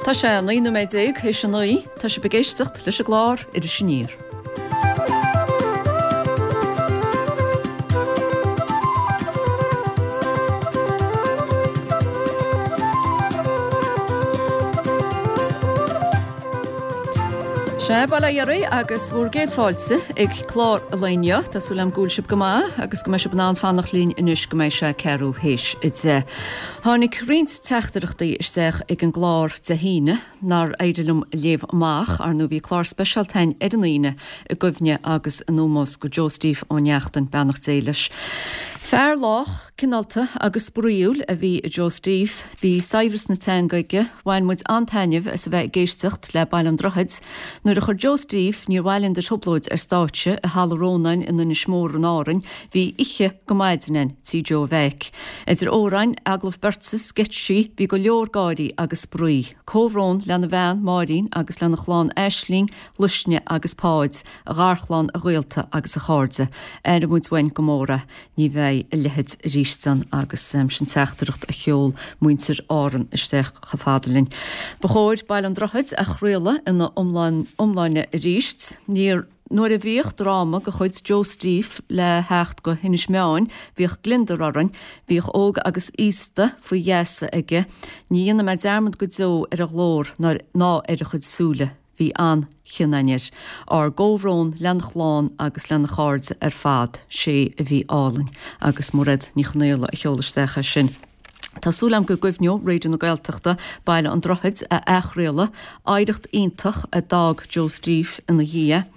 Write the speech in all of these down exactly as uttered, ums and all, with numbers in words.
Tá sé naoi nóiméad déag théis a naoi, tá sibh ag éisteacht leis an gclár Iris Aniar. Sea, bail ó Dhia oraibh agus bhur gcéad fáilte ag clár an lae inniu. Tá súil agam go bhfuil sibh go maith agus go mbeidh sibh in ann fanacht linn anois go mbeidh sé ceathrú théis a deich. Tháinig roinnt teachtaireachtaí isteach ag an gclár Dé hAoine nár éirigh liom a léamh amach. Ar ndóigh bhí clár speisialta againn ar an Aoine i gcuimhne agus in ómós go Joe Steve Ó Neachtain, beannacht Dé leis. Fear lách, cineálta agus spraíúil a bhí i Joe Steve. Bhí saibhreas na teanga aige. Bhain muid an-taitneamh as a bheith ag éisteacht le Baile an Droichid. Nuair a chuir Joe Steve Níor Mhaith Linn do Thrioblóid ar stáitse i Halla Rónáin in Inis Mór in Árainn, bhí oíche go maidin againn tí Joe Mheaic. Idir amhráin, agallamh beirte, sceitsí, bhí go leor gáirí agus spraoi. Comhbhrón lena bhean, Máirín, agus lena chlann Aisling, Luisne agus Páid, a gharchlann, a ghaolta agus a chairde. Aireoidh muid uainn go mór é. Ní bheidh a leithéid arís ann agus sin teachtaireacht a sheol muintir Árann isteach chomh fada linn. Ba chóir Baile an Droichid a chraoladh ina iomláine arís. Níor Nuair a bhíodh dráma de chuid Joe Steve le theacht go hInis Meáin, bhíodh gliondar orainn, bhíodh óg agus aosta faoi gheasa aige. Ní dhéanfaidh mé dearmad go deo ar a ghlór ná ar a chuid súile. Bhí an-chion againn air. Ár gcomhbhrón lena chlann agus lena chairde ar fad. Sé a bhí álainn. Agus Mairéad Ní Chonaola a sheol isteach é sin. Tá súil agam go gcuimhneoidh Raidió na Gaeltachta Baile an Droichid a athchraoladh, oidhreacht iontach a d'fhág Joe Steve ina dhiaidh.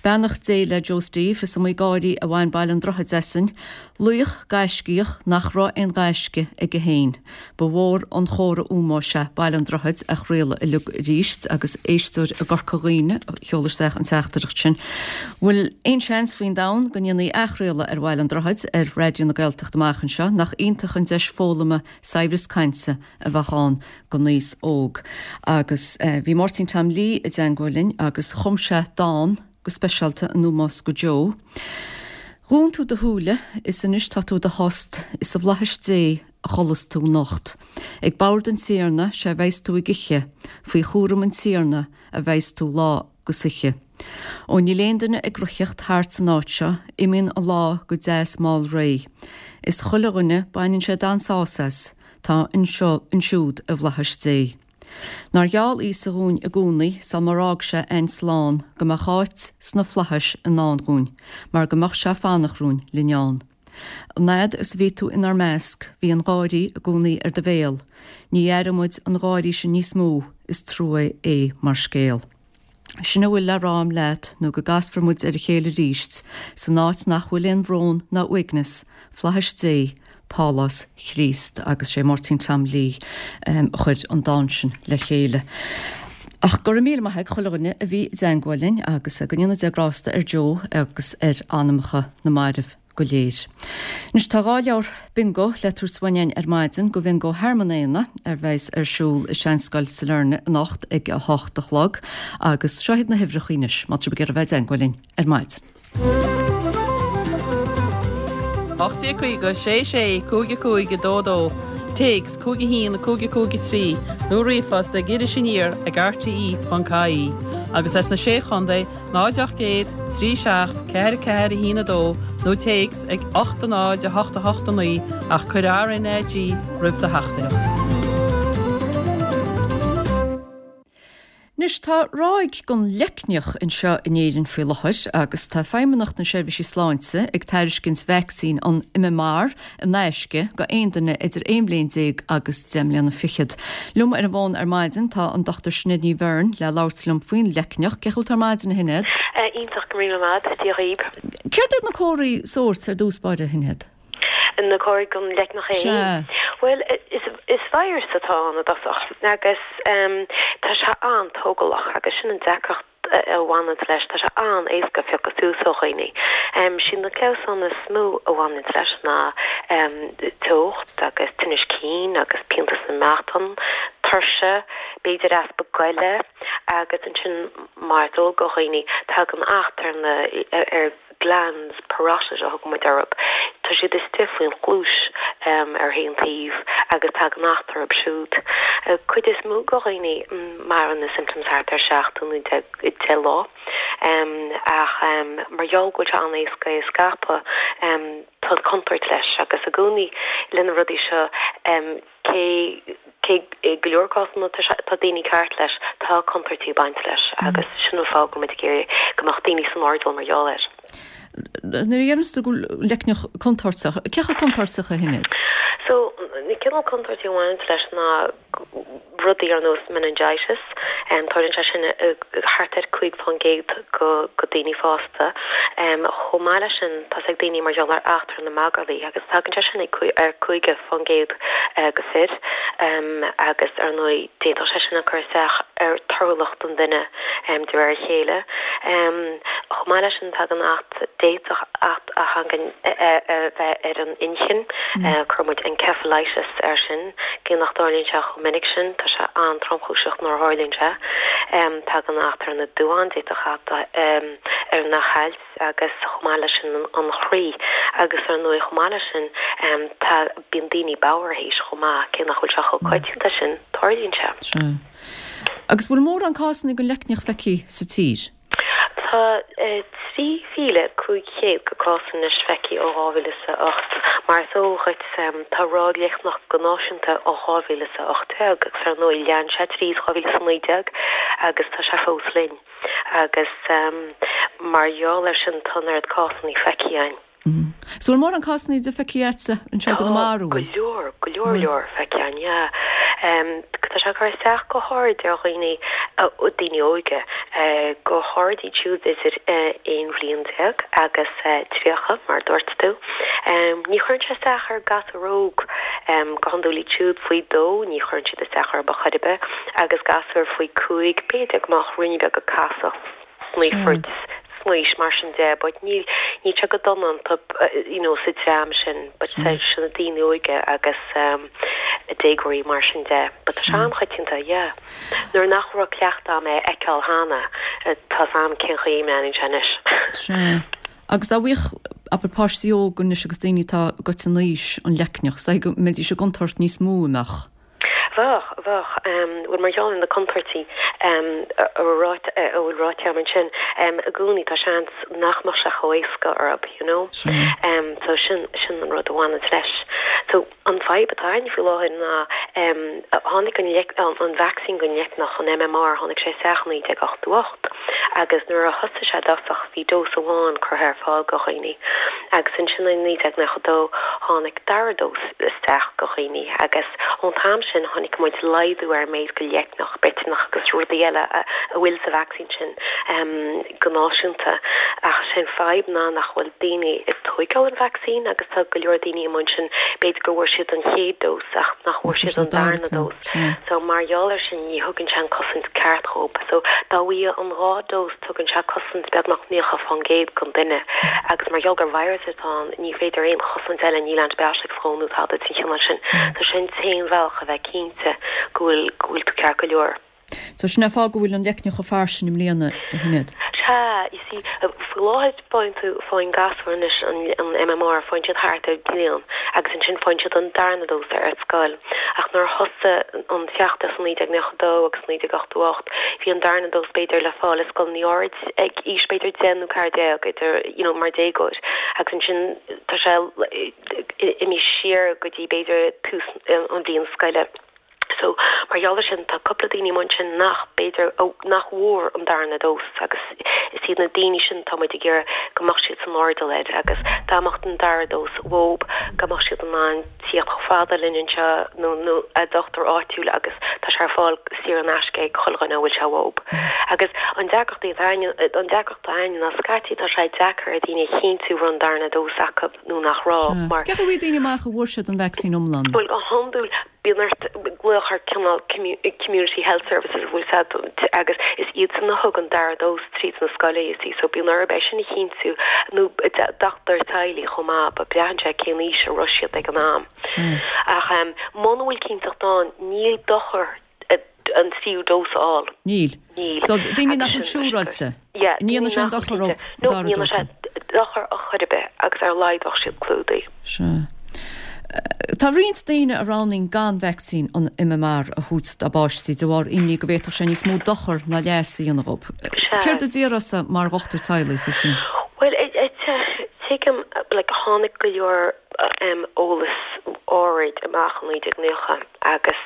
Beannacht Dé le Joe Steve, is iomaí gáirí a bhain Baile an Droichid asainn. Laoch gaiscíoch nach raibh aon ghaisce aige féin. Ba mhór an chomhartha ómóis é Baile an Droichid a chraoladh uilig arís agus éisteoir i gCorca Dhuibhne a sheol isteach an teachtaireacht sin. Bhfuil aon seans faoin domhan go ndéanfaí athchraoladh ar Bhaile an Droichid ar Raidió na Gaeltachta amach anseo? Nach iontach an deis foghlama saibhreas cainte a bheadh ann don aos óg. Agus bhí Máirtín Tom Lee i dteangmháil linn agus chum sé dán go speisialta in ómós go Joe. Dhún tú do shúile is anois tá tú i do thost is i bhflaithis Dé a chodlas tú anocht. Ag bord an Tiarna 'sea bheas tú ag ithe, faoi chúram an Tiarna a bheas tú lá 'gus oíche. Ó níl aon duine ag ritheacht thart san áit seo, imíonn an lá go deas mall réidh. Is chuile dhuine baineann sé an-sásamh as, tá anseo ansiúd i bhflaithis Dé. Nár gheall Íosa dhúinn i gcónaí sul mar fhág sé a'inn slán go mbeadh áit sna flaithis i ndán dhúinn, mar go mbeadh sé fanacht rúinn linn ann. An fhad is a bhí tú inár measc bhí an gáirí i gcónaí ar do bhéal, ní aireoidh muid an gáirí sin níos mó, is trua é mar scéal. Sin a bhfuil le rá a'm leat nó go gcasfar muid ar a chéile arís san áit nach bhfuil aon bhrón ná uaigneas, flaithis Dé, Pálás Chríost agus sé Máirtín Tom Lee a chuir an dán sin le chéile. Ach go raibh míle maith ag chuile dhuine a bhí i dteangmháil linn agus go ndéana Dia grásta ar Joe agus ar anamacha na mairbh go léir. Anois tá dhá leabhar bingo le tabhairt uainn againn ar maidin go Bhingo Thearmann Éanna a bheas ar siúl i Seanscoil Sailearna anocht ag a hocht a chlog agus seo iad na huimhreacha anois má tá sibh ag iarraidh bheith i dteangmháil linn ar maidin. ocht déag caoga sé sé cúig a cúig a dó dó, téacs cúig a haon cúig a cúig a trí nó ríomhphost ag Iris Aniar ag rte ponc ie agus as na Sé Chontae náid ocht gcéad trí seacht ceathair ceathair a haon a dó nó téacs ag ocht a náid a hocht a hocht a naoi ach cuir RnaG roimh do theachtaireacht. Anois tá ráig den leicneach anseo in Éirinn faoi láthair agus tá Feidhmeannacht na Seirbhísí Sláinte ag tairiscint vacsaín an MMR in aisce go aon duine idir aon bhliain déag agus deich mbliana fichead. Liom ar an bhfón ar maidin tá an Dochtúir Sinéad Ní Bheirn le labhairt liom faoin leicneach. Cén chaoi a bhfuil tú ar maidin a Shinéad? Iontach, go raibh míle maith agat, Dia dhaoib. Céard iad na comharthaí sóirt ar dtús báire, a Shinéad? Na comharthaí den leicneach é Sea. Bhuel, is is virus atá ann i dtosach agus tá sé an-tógálach agus sin an deacracht a bhaineanns leis, tá sé an-éasca piocadh suas ó dhaoine. Siad na clamhsáin is mó a bhaineanns leis ná teocht agus tinneas cinn agus pianta sna meatáin, tuirse, b'fhéidir easpa goile agus ansin mar is eol do dhaoine tagann acht ar na ar glands parotid a thugann muid orthu. Tá siad istigh faoin chluais ar aon taobh agus tagann acht orthu siúd. Cuid is mó de dhaoine maireann na symptoms thart ar seachtain nó deich lá. Ach mar gheall go bhfuil sé an-éasca é a scaipeadh, tá contúirt leis agus i gcónaí le na rudaí seo cé cé i go leor cásanna tá daoine ceart leis, tá contúirtí ag baint leis agus sin an fáth go bhfuil muid ag iarraidh go mbeadh daoine san airdeall mar gheall air. Nuair a deireanns tú go bhfuil leicneach contúirteach, cé chomh contúirteach a Shinéad? So, na cineál contúirtí a bhaineann leis ná rudaí ar nós meningitis, tarlaíonn sé sin thart ar cúig faoin gcéad go go daoine fásta. Chomh maith leis sin, tá ag daoine mar gheall ar acht ar na magairlí agus tagann sé sin ar cúig faoin gcéad go fir agus ar ndóigh d'fhéadfadh sé sin a chur isteach ar torthúlacht an duine de réir a chéile. Chomh maith leis sin tagann acht d'fhéadfadh acht a thagann a bheith ar an inchinn, cuireann muid encephalitis air sin, cé nach dtarlaíonn sé chomh minic sin, tá sé an-tromchúiseach nuair a tharlaíonn sé. Tagann acht ar na duáin, d'fhéadfadh acht ar na hailt agus chomh maith leis sin an chroí agus ar ndóigh chomh maith leis sin tá bíonn daoine bodhar théis chomh maith, cé nach bhfuil sé chomh coitianta sin, tarlaíonn sé. Sea. Agus bhfuil mórán cásanna den leicneach feicthe sa tír? Tá trí mhíle cúig chéad go cás anois feicthe ó dhá mhíle is a ocht. Mar is eol dhuit, tá ráig leicneach go náisiúnta ó dhá mhíle is a ocht déag agus ar ndóigh lean sé tríd dhá mhíle is a naoi déag agus tá sé fós linn. Agus mar gheall air sin tá an oiread cásanna feicthe againn. So bhfuil mórán cásanna de feicthe agatsa anseo i gConamara, Tá go leor, go leor leor feicthe againn, yeah. Tá sé ag cur isteach go háirid ar dhaoine, daoine óga, go háirid iad siúd idir aon bhliain déag agus tríocha, mar a dúirt tú. Ní chuireann sé isteach ar gasúir óg, go hiondúil iad siúd faoi dó, ní chuireann siad isteach orthu ar chor ar bith, agus gasúir faoi cúig, b'fhéidir go mbeadh ruainne beag ag casadh sna foirt sna mar sin de, but níl níl sé go dona iontu you know sa dream sin, but sin na daoine óga agus um, déagóirí mar sin de, but tá sé an-choitianta, yeah. Nuair nach raibh cleachtadh agam é a fheiceáil cheana, tá 's agam cén chaoi a mbreathnaíonn sé anois. Sea. Agus dá bhfaigheadh abair páistí óga anois agus daoine atá goite in aois an leicneach, is dóigh go mbeidís i gcontúirt níos mó an mbeadh? Bheadh, bheadh. Bhuel, mar gheall ar na contúirtí a bhfuil ráite agam ansin, i gcónaí tá seans nach mbeadh sé chomh éasca orthu, you know. So sin, sin an rud a bhaineann leis. So an fadhb atá againn faoi láthair ná tháinig an an vacsaín don leicneach, an MMR, tháinig sé isteach i naoi déag ochtó ocht agus nuair a thosaigh sé i dtosach bhí dós amháin curtha ar fáil do dhaoine agus ansin i naoi déag nócha dó tháinig dara dós isteach do dhaoine agus ón t-am sin chonaic muid laghdú ar an méid de leicneach Briotanach agus rudaí eile a bhfuil sa vacsaín sin go náisiúnta. Ach is é an fadhb ná nach bhfuil daoine ag tóigeáil an vacsaín agus tá go leor daoine amuigh ansin b'fhéidir go bhfuair siad an chéad dós ach nach bhfuair siad an darna dós. So mar gheall air sin ní thugann sé an cosaint ceart dhóibh. So dá bhfaigheadh an dhá dós tugann sé cosaint beagnach naocha fán gcéad don duine agus mar gheall gur virus atá ann ní féidir aon chosaint eile, níl antibiotics dhó nó tada den chineál sin. So sin t-aon bhealach a bheith cinnte go bhfuil go bhfuil tú ceart go leor. So sin an fáth go bhfuil an leicneach chomh fairsing i mbliana, a Shinéad? Sea, you see, faoi láthair faigheann tú, faigheann gasúir anois an an MMR, faigheann siad thart ar bliain agus ansin faigheann siad an darna dós ar scoil. Ach nuair a thosaigh an feachtas i naoi déag nócha dó agus naoi déag ochtó ocht, bhí an darna dós b'fhéidir le fáil i scoileanna áirid ag aois b'fhéidir deich nó ceathair déag idir, you know, mar déagóir agus ansin tá sé imithe siar go dtí b'fhéidir tús an bhliain scoile. So, mar gheall ar sin, tá cúpla daoine amuigh ansin nach, b'fhéidir, nach bhfuair an darna dós agus is iad na daoine sin tá muid ag iarraidh go mbeadh siad san airdeall air agus dá mbeadh an dara dós uathub, go mbeadh siad in ann tíocht chomh fada linn anseo nó nó a dochtúir áitiúil agus tá sé ar fáil saor in aisce ag chuile dhuine a bhfuil sé uathub. Agus an deacracht atá againn, an deacracht atá againn ná scaití tá sé deacair ar daoine a chinntiú raibh an darna dós acu nó nach raibh mar. Cén chaoi a bhfaighidh daoine amach an bhfuair siad an vacsaín iomlán? Bhuel, go hiondúil bíonn ort glaoch ar cineál community health services a bhfuil siad agus is iadsan a thug an dara dós tríd na scoile you see so bíonn orthu é sin a chinntiú nó dochtúir teaghlaigh chomh maith but braitheann sé cén aois a raibh siad ag an am. Ach muna bhfuil cinnteacht ann níl dochar an tríú dós a fháil. Níl. Níl. So daoine nach bhfuil siúráilte. Yeah, Ní dhéanann sé aon dochar dóibh No, dara ní dhéanann dós. sé dochar ar chor ar bith agus ar a laghad bheadh siad clúdaithe. Sea. Tá roinnt daoine a roghnaíonn gan vacsaín an MMR a thabhairt dá bpáistí de bharr imní go bhféadfadh sé níos mó dochar ná leas a dhéanamh dhóibh. Sea. Céard a déarfása mar dhochtúir teaghlaigh faoi sin? Bhuel, tuigim, like, tháinig go leor eolas áirid amach i naoi déag naocha agus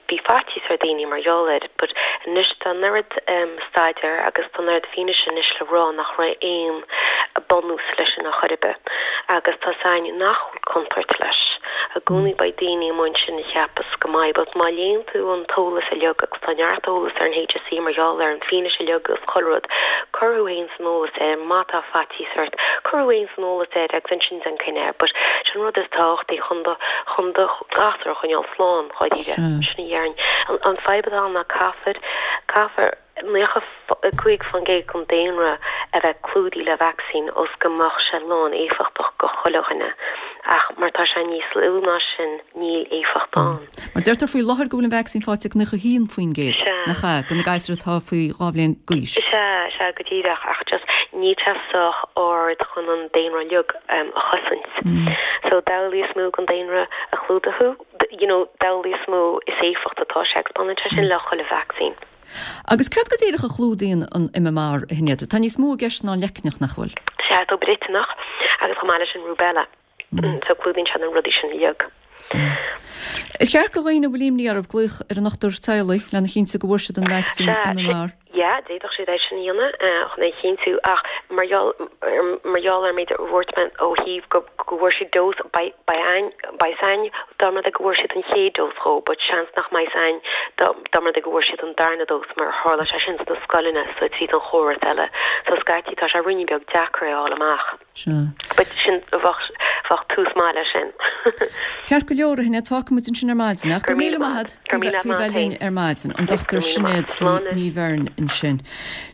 bhí faitíos ar dhaoine mar gheall air but anois tá an oiread staidéir agus tá an oiread fianaise anois le rá nach raibh aon bunús leis sin ar chor ar bith agus tá 's againn nach bhfuil contúirt leis. I gcónaí beidh daoine amuigh ansin a cheapas go mbeidh but má léann tú an t-eolas uilig agus tá neart eolas ar an HSE mar gheall ar an fianaise uilig agus chuile rud, cuir thú fhéin san eolas air má tá faitíos ort, cuir thú fhéin san eolas air agus ansin déan cinneadh but sin an rud is tábhachtaí chun do chun do ghasúr a choinneáil slán, dháiríre. Sin a dhéarfainn. An an fadhb atá ann ná caithfear caithfear naocha a cúig faoin gcéad den daonra a bheith clúdaithe le vacsaín ós go mbeadh sé lán éifeachtach go chuile dhuine ach mar tá sé níos lú ná sin níl éifeacht ann. Mar deirtear faoi láthair go bhfuil an vacsaín faighte ag naocha a haon faoin gcéad, nach ea, de na gasúir atá faoi dhá bhliain d'aois. Sea, sea, go díreach, ach just níl sé sách ard chun an daonra uilig a chosaint. So d'amhlaidh is mó den daonra a chlúdaigh tú, you know, d'amhlaidh is mó is éifeacht atá sé agus baineann sé sin le chuile vacsaín. Agus céard go díreach a chlúdaíonn an MMR, a Shinéad? Tá níos mó i gceist ná an leicneach, nach bhfuil? Sea, tobar intinneach agus chomh maith leis an rubella. So clúdaíonn sé na rudaí sin uilig. Ar cheart do dhaoine a bhfuil imní orthu glaoch ar a ndochtúir teaghlaigh lena chinntiú go bhfuair siad an vacsaín MMR? Yeah, d'fhéadfadh siad é sin a dhéanamh chun é a chinntiú ach mar gheall mar gheall ar an méid a dúirt mé ó thaobh go go bhfuair siad dós beidh beidh againn beidh 's againn dá mba rud é go bhfuair siad an chéad dós dhó but seans nach mbeidh 's againn dá dá mba rud é go bhfuair siad an darna dós mar tharla sé sin sna scoileanna so tríd an chóras eile so scaití tá sé ruainnín beag deacair é a fháil amach. Sea. But sin bheadh bheadh tús maith leis sin. Ceart go leor, a Shinéad, fágfaidh muid ansin ar maidin ach Go go raibh míle míle maith maith agat Go raibh míle faoi maith bheith linn féin. ar maidin, an Go Dochtúir raibh míle maith. Sinéad Slán. Ní Bheirn ansin.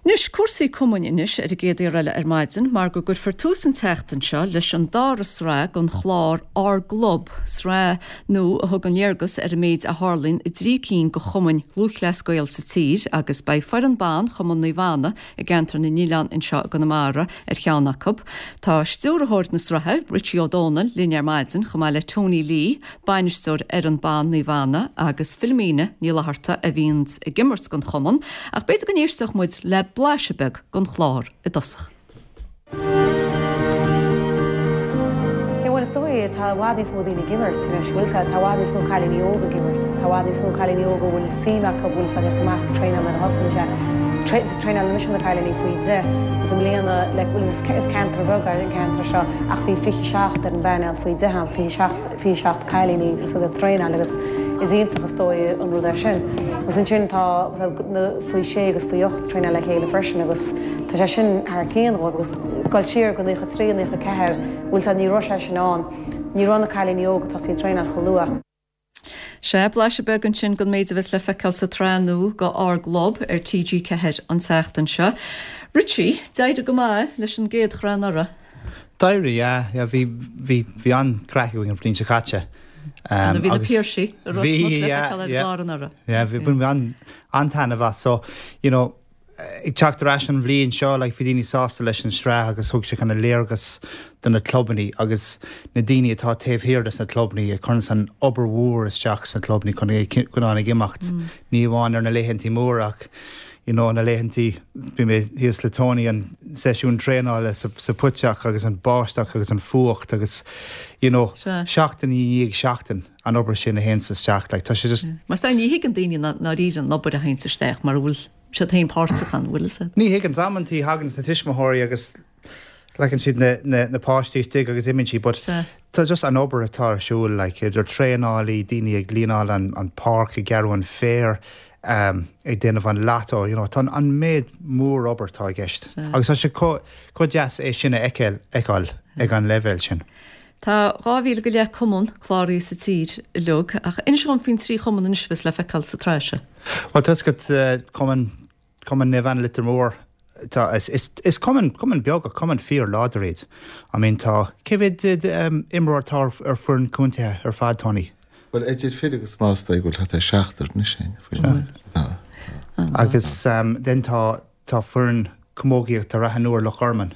Anois cúrsaí cumainn anois ar an gcéad uair eile ar maidin mar go gcuirfear tús an tseachtain seo leis an dara sraith den chlár Ár gClub, sraith nua a thugann léargas ar an méid a tharlaíonn i dtrí cinn de chumainn Lúthchleas Gael sa tír agus beidh foireann ban Chumann Naomh Anna i gceantar na nOileán anseo i gConamara ar cheann acu. Tá stiúrthóir na sraithe, Richie Ó Dónaill, linn ar maidin chomh maith le Tony Lee, bainisteoir fhoireann ban Naomh Anna agus Philomena Ní Fhlatharta a bhíonn ag imirt don chumann, ach b'fhéidir go n-éisteodh muid le blaiseadh beag den chlár i dtosach. Bhuel is dóigh tá i bhfad níos mó daoine ag imirt anois, bhfuil tá i bhfad níos mó cailíní óga ag imirt, tá i bhfad níos mó cailíní óga bhfuil suim acu bhfuil sa teacht amach traenáil ar a thosaíonn sé. Traenáil mise na cailíní faoi deich is i mbliana le bhfuil is is ceantar beag an ceantar seo ach bhí fiche seacht ar an bpainéal faoi deich am fiche seacht fiche seacht cailíní is ag traenáil agus is iontach is dóigh an rud é sin. Agus ansin tá na faoi sé agus faoi ocht traenáil le chéile freisin agus tá sé sin thar cionn agus dul siar go naocha trí naocha ceathair bhfuil tá ní raibh sé sin ann, ní raibh na cailíní óga tá siad traenáil chomh luath. Sé blaiseadh beag ansin den méid a bheas le feiceáil sa tsraith nua de Ár gClub ar TG Ceathair an tseachtain seo. Richie, d'éirigh go maith leis an gcéad shraith anuraidh. D'éirigh, yeah, yeah, bhí bhí bhí an-chraic againn an bhliain seo caite. Um, bhí na agus Piarsaigh a bhí, le yeah, feiceáil ar yeah. chlár anuraidh. Yeah, bhí bhí an an-taitneamh as so you know ag teacht ar ais an bhliain seo like, bhí daoine sásta leis an sraith agus thug sé kind of léargas do na clubanna agus na daoine atá taobh thiar des na clubanna ag cur an obair mhór isteach sna clubanna chun chun an ag imeacht. Mm. Ní amháin ar na laethantaí móra ach you know, na laethantaí bhí mé thíos le Tony an seisiún traenála sa, sa phuiteach agus an báisteach agus an fuacht agus you know, Sea. seachtain i ndiaidh seachtain an obair sin a théann isteach like, tá sé just Mar sta ní thuigeann daoine ná ná ríad an obair a théann isteach mar bhfuil siad féin páirteach ann bhfuil se. Ní thuigeann amantaí thagann na tuismitheoirí agus leann siad na, na, na páistí istigh agus imíonn siad, but Sea. tá just an obair atá ar siúl like, idir traenálaí daoine ag línáil an, an páirc ag gearradh an féar um, ag déanamh an lató, you know, tá an, an méid mór obair atá i gceist. Sea. Agus tá sé chomh chomh deas é sin a fheiceáil fheiceáil ag an leibhéal sin. Tá dhá mhíle go leith cumann cláraithe sa tír uilig ach inis dom faoin trí chumann anois bheas le feiceáil sa tsraith seo. Well tá go uh, cumann cumann Naomh Anna Leitir Móir tá is, is, is cumann cumann beag cumann fíorláidir iad. I mean tá cé mhéad um, imreoir atá ar, ar foireann contae ar fad Tony. Well idir fir agus mná go bhfuil thart ar seachtar anois sin faoi Tá. Agus um, den tá tá foireann camógaíochta Ráth an Iúir Loch Garman.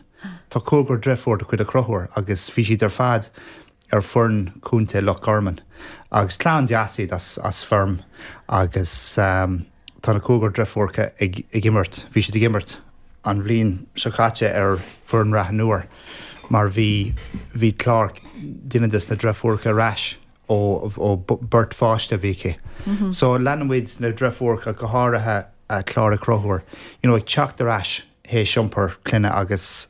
Tá cúigear deirfiúr de chuid Ó Conchúir agus bhí siad ar fad ar foireann contae Loch Garman. Agus clann deas iad as, as Feirm agus um, tá na cúigear deirfiúracha ag, ag imirt, bhí siad ag imirt an bhliain seo caite ar foireann Rath an Iúir mar bhí bhí Clár duine des na deirfiúracha ar ais ó, ó beirt pháiste a bhí aici. Mm -hmm. So leanann muid na deirfiúracha go háirithe uh, Clár Ó Conchúir, you know, ag teacht ar ais théis iompar clainne agus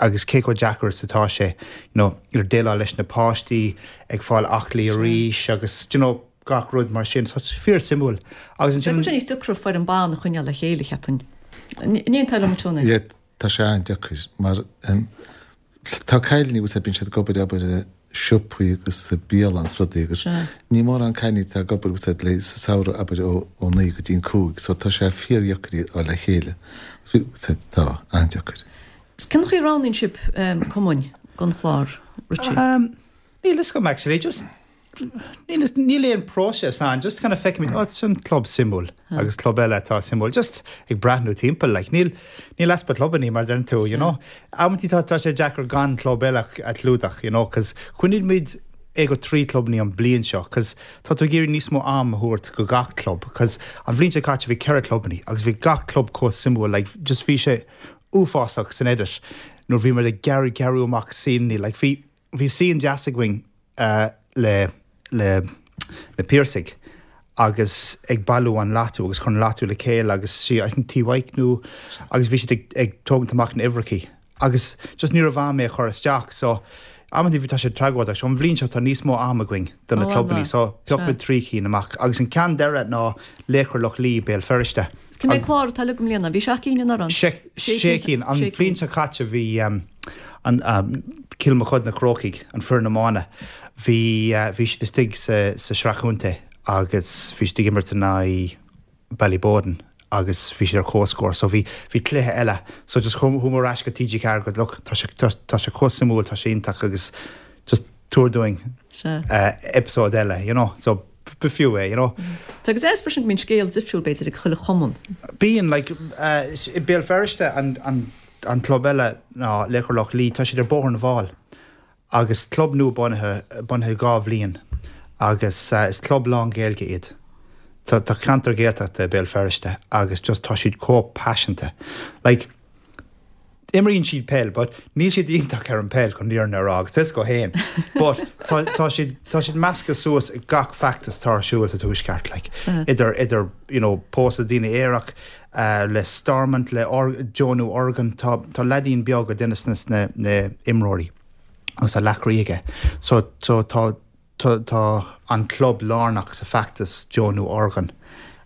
agus cé chomh deacair is atá sé you know, ar déileáil leis na páistí ag fáil aclaí arís agus you know, gach rud mar sin so fíor suimiúil agus ansin níos deacra foireann ban a choinneáil le chéile cheapfainn. Ní tá liom Tony. Yeah, tá sé an-deacair mar um, tá cailíní agus bíonn siad ag obair abair i siopaí agus sa bialann is rudaí agus ní mórán cailíní atá ag obair agus le sa samhradh abair ó ó naoi go dtí an cúig so tá sé fíordheacair iad a fháil le chéile. Tá an-deacair. Cén chaoi a roghnaíonn sibh cumainn don chlár, Richie? Um, níl fhios agam actually, just níl níl aon próiseas ann, just kind of feicimid, oh, sin club suimiúil agus club eile atá suimiúil, just ag breathnú timpeall, like, níl níl easpa clubannaí mar deireann tú, you know. Amantaí tá tá sé deacair gan club eile a chlúdach, you know, cos choinnigh muid é go trí clubannaí an bliain seo, cos tá tú ag iarraidh níos mó am a thabhairt go gach club, cos an bhliain seo caite bhí ceithre clubannaí agus bhí gach club chomh suimiúil, like, just bhí sé uafásach san edit nuair bhí muid ag gearradh gearradh amach scene, like, bhí bhí scene deas againn uh, le le na Piarsaigh agus ag bailiú an latú agus chun latú le chéile agus sí I think Tí Mhaidhc nó agus bhí siad ag, ag tógaint amach na uimhreachaí agus just ní raibh am é a chur isteach so amantaí bhí tá sé tragóideach so an bhliain seo tá níos mó am againn do na clubannaí so phioc muid trí cinn amach agus an ceann deireadh ná Laochra Loch Lao Béal Feirste. Cé mhéad clár atá le go mbliana? Bhí seacht gcinn anuraidh? Sé sé cinn. An bhliain seo caite bhí um, an um, Cill Mochuda na Crócaigh, an foireann iomána, bhí uh, bhí siad istigh sa, sa sraith chontae agus bhí siad ag imirt in aghaidh Ballyboden agus bhí siad ar comhscór so bhí bhí cluiche eile so just chuamar ar ais go TG Ceathair go look tá sé tá, tá sé chomh suimiúil tá sé iontach agus just tabhair dúinn uh, episode eile you know so b'fhiú é you know. Tá agus é freisin go mbíonn scéal difriúil b'fhéidir ag chuile chumann. Bíonn like uh, i Béal Feirste an, an, an club eile ná Laochra Loch Lao tá siad ar Bóthar na bhFál agus club nua bunaithe bunaithe dhá bhliain agus uh, is club lán Gaeilge iad. Tá tá ceantar Gaeltachta Béal Feirste agus just tá siad chomh paiseanta. Like imríonn siad peil, but níl siad iontach ar an peil chun fírinne a rá agus is go héin. But tá tá siad tá siad measctha suas ag gach feachtas atá ar siúl sa tuaisceart like idir idir you know pósadh daoine aerach uh, le Stormont le or, deonú orgán tá tá leaidín beag a duine sna na, na imreoirí agus tá leac croí aige. So so tá tá tá an club lárnach sa feachtas deonú orgán.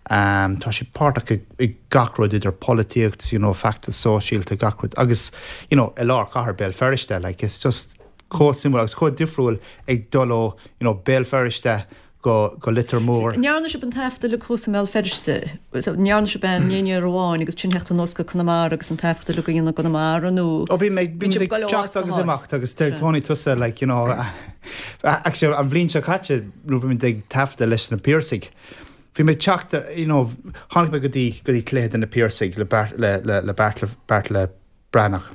Um, tá sé páirteach i, i gach rud idir polaitíocht, you know, feachtas sóisialta gach rud agus you know, i lár chathair Béal Feirste, like, it's just chomh suimiúil agus chomh difriúil ag dul ó you know, Béal Feirste go, go Leitir Móir. Ndearna sibh an taifeadadh le thuas i mBéal Feirste, ndearna sibh an aon amháin agus ansin theacht anuas go Conamara agus an taifeadadh le go dhéanamh Conamara nó Ó bí mé bí sibh go leor teacht áit go agus háit. imeacht agus deir Tony tusa like you know actually an bhliain seo caite nó bhí mé ag taifeadadh leis na Piarsaigh. Bhí mé teacht you know tháinig mé go dtí go dtí cluiche de na Piarsaigh le Bart le le le Beartla Beartla Breathnach.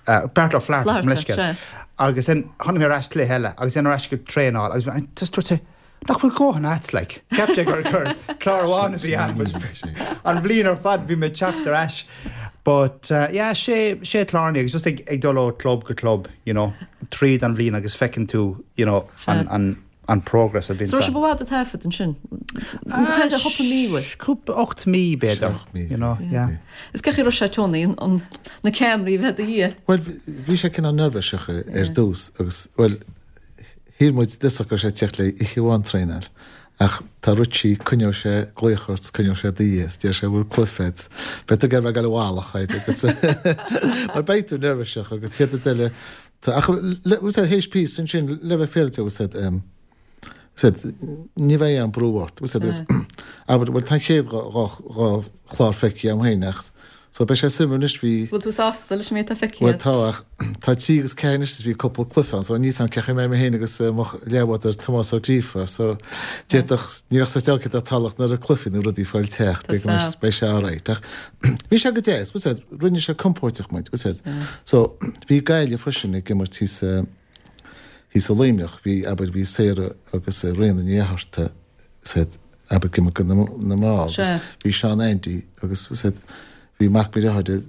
Uh, Beartla Flatharta Flatharta, leisce. sea. Agus then tháinig mé ar ais cluiche eile agus then ar ais go traenáil agus bhí- just dúirt sé nach bhfuil dóthain agat like. Cheap sé gur gur clár amháin a bhí ann but an bhliain ar fad bhí mé teacht ar ais. But uh, yeah, sé sé clárnaí agus just ag, ag dul ó club go club, you know, tríd an bhliain agus feiceann tú, you know, an, an, an progress a bhíonn So sibh i bhfad ag taifead ansin. Cúpla mí bhfuil. Cúpla ocht mí b'fhéidir, Seacht mí. you know, yeah. Is cé raibh sé Tony an, an na ceamaraí bheith do dhiaidh. Well, bhí sé cineál neirbhíseach ar dtús agus well shíl muid dtús go sé teacht le oíche amháin traenáil ach tá Richie coinneoidh sé glaoch ort coinneoidh sé do dhiaidh deir sé bhfuil cluifead Be tú bheith gal bhálach agus mar beidh tú neirbhíseach agus chéad eile ach théis píosa ansin le bheith féilte said said ní bheidh an brú ort said abair bhfuil tá chéad dhá chlár feicthe agam féin ach So beidh sé suimiúil anois, bhí. Bhfuil tú sásta leis an méid atá feicthe Bhuel tá ach tá trí agus ceathair anois is bhí cúpla cluiche ann so níl 's a'm cén chaoi a mbeidh mé féin agus mo leathbhádóir Tomás Ó Gríofa so d'fhéadfadh, ní bheadh sa dealcaid dá talach nuair a cluichí nó rudaí fáil teach, Tá beidh sásta. beidh sé alright ach bhí sé go deas, bhfuil 's a'd, rinne sé compóirteach muid, bhfuil 's a'd. So bhí Gaillimh freisin ag imirt thíos thíos i Luimneach, bhí abair bhí Sarah agus Ríona Ní Fhatharta, bhfuil 's a'd, abair ag imirt do na na mná agus Sea. bhí Seán Andy agus bhfuil 's a'd, bhí mac mo dheartháire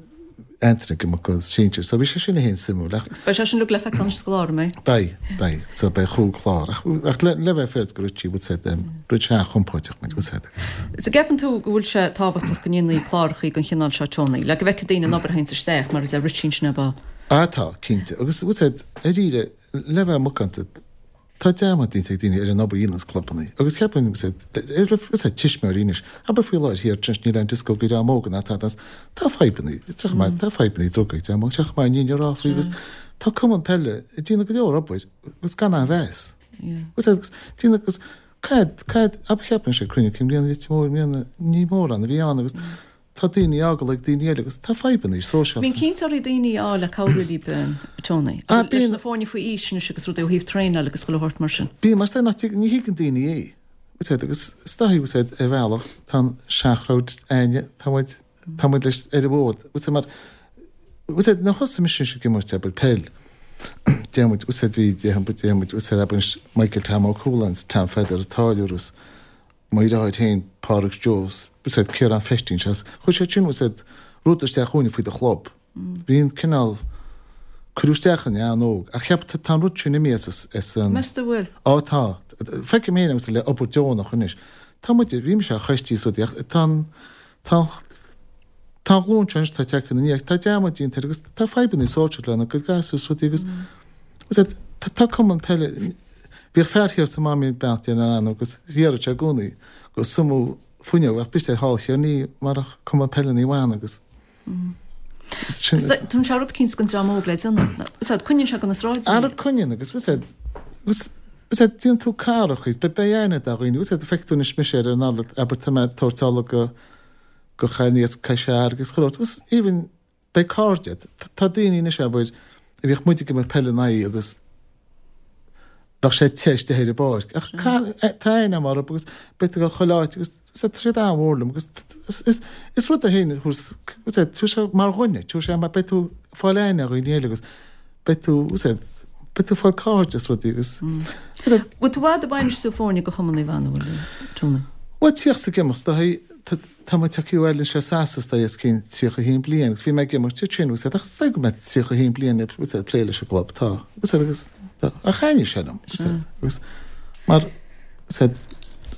Anthony ag imirt do sinsir so bhí sé sin féin suimiúil ach. Beidh sé sin uilig le feiceáil anois sa gclár, an mbeidh? Beidh, beidh. So beidh chúig chlár ach ach le le bheith fair go Richie bhfuil 's a'd rinne sé an-chompóirteach muid bhfuil 's a'd agus. Is an gceapann tú go bhfuil sé tábhachtach go ndéanfaí clárachaí den chineál seo Tony, le go bhfeicfidh daoine an obair a théanns isteach mar a deir Richie ansin ar ball? Ah tá, cinnte. Agus bhfuil 's a'd, dáiríre, le bheith macánta, tá dearmad déanta ag daoine ar an obair a dhéananns clubannaí. Agus cheapfainn, bhfuil 's a'd, ar bhfuil 's a'd, tuismitheoirí anois, abair faoi láthair thiar anois níl aon dioscó ag dream óg ná tada, tá fadhbannaí, teach mar, tá fadhbannaí drugaí ag dream óg, teach mar ní rá faoi agus tá cumann peile ag déanamh go leor obair agus gan aon mheas. Bhfuil 's a'd, agus déanamh agus cad, cad, abair cheapfainn sé cruinniú cinn bliana, Leitir Móir i mbliana, ní mórán a bhí ann agus tá daoine á fhágáil ag daoine eile agus tá fadhbannaí sóisialta. Bíonn cinnteoirí daoine á le cabhrú libh, Tony, Ah, leis bíonn. na foirne faoi aois anois agus rudaí ó thaobh traenáil agus chuile shórt mar sin. Bíonn, mar is nach dtig, ní thuigeann daoine é. Bhfuil 's a'd, agus is dóigh, bhfuil 's a'd, ar bhealach, tá an seanchrowd againne, tá muid, tá muid leis ar an bhfód. Bhfuil 's a'd, mar, bhfuil 's a'd, nuair a thosaigh mise ag imirt abair peil, deir muid, bhfuil 's a'd, bhí, deir muid, deir muid, bhfuil 's a'd, abair anois Michael Tom Ó Cualáin, Tom Pheadair an Táilliúir agus mo dheartháir féin, Pádraig Joe, bhfuil 's a'd, Ciarán Feistín, sea, chuir siad sin, bhfuil 's a'd, rud isteach chugainne faoi do chlub. Bhí an cineál, cuireadh isteach in an-óg, ach cheap, tá an rud sin imithe as, as an. Meas tú bhfuil? Á, tá. Feicim féin agus le obair deonach anois. Tá muid, bhí mise ar choistí is rudaí ach tá an, tá an, tá an ghlúin seo anois atá ag teacht ina ndiaidh, tá dearmad déanta air agus tá fadhbanna sóisialta lena gcuid gasúr is rudaí agus, bhfuil 's a'd, tá cumann peile, Bhíodh fear thiar sa Máimín beannacht Dé lena anam agus deireadh sé i gcónaí go suimiú fuinneog ach b'fhéidir thall thiar ní marach cumann peile Naomh Anna agus sin Is tugann sé rud eicínt don dream óg le déanamh. Is ea, coinníonn sé go na sráideanna Ara iad. coinníonn agus bhfuil 's a'd agus bhfuil 's a'd déanann tú cara is beidh beidh aithne do dhaoine bhfuil 's a'd feicfidh tú anois mise ar an Nollaig abair tá mé ag tabhairt ola go go chailíní as Cois Fharraige agus chuile shórt agus even Beidh cairde. Tá daoine anois, abair, a bhíodh muid ag imirt peile ina aghaidh agus bheadh sé te istigh ar an bpáirc. Ach tá aithne agam orthu agus beidh tú ag dul chuile áit agus tá siad an-mhór liom agus is rud é féin tabharfaidh sé mar dhuine, tabharfaidh sé mar beidh tú ag fáil aithne ar dhaoine eile agus beidh tú, beidh tú ag fáil cairde is rudaí agus. Bhfuil tú i bhfad ag bainistiú foirne do Chumann Naomh Anna, an bhfuil, Tony? Bhuel, tíocht ag imeacht, tá mé tagtha abhaile anseo as is dóigh os cionn tríocha a haon bliain agus bhí mé ag imirt ansin bhfuil 's a'd ach is dóigh go mbeidh tríocha a haon bliain ag bhfuil 's a'd plé leis an gclub, tá, bhfuil 's a'd agus tá, ach thaitnigh sé liom, bhfuil 's a'd agus mar, bhfuil 's a'd,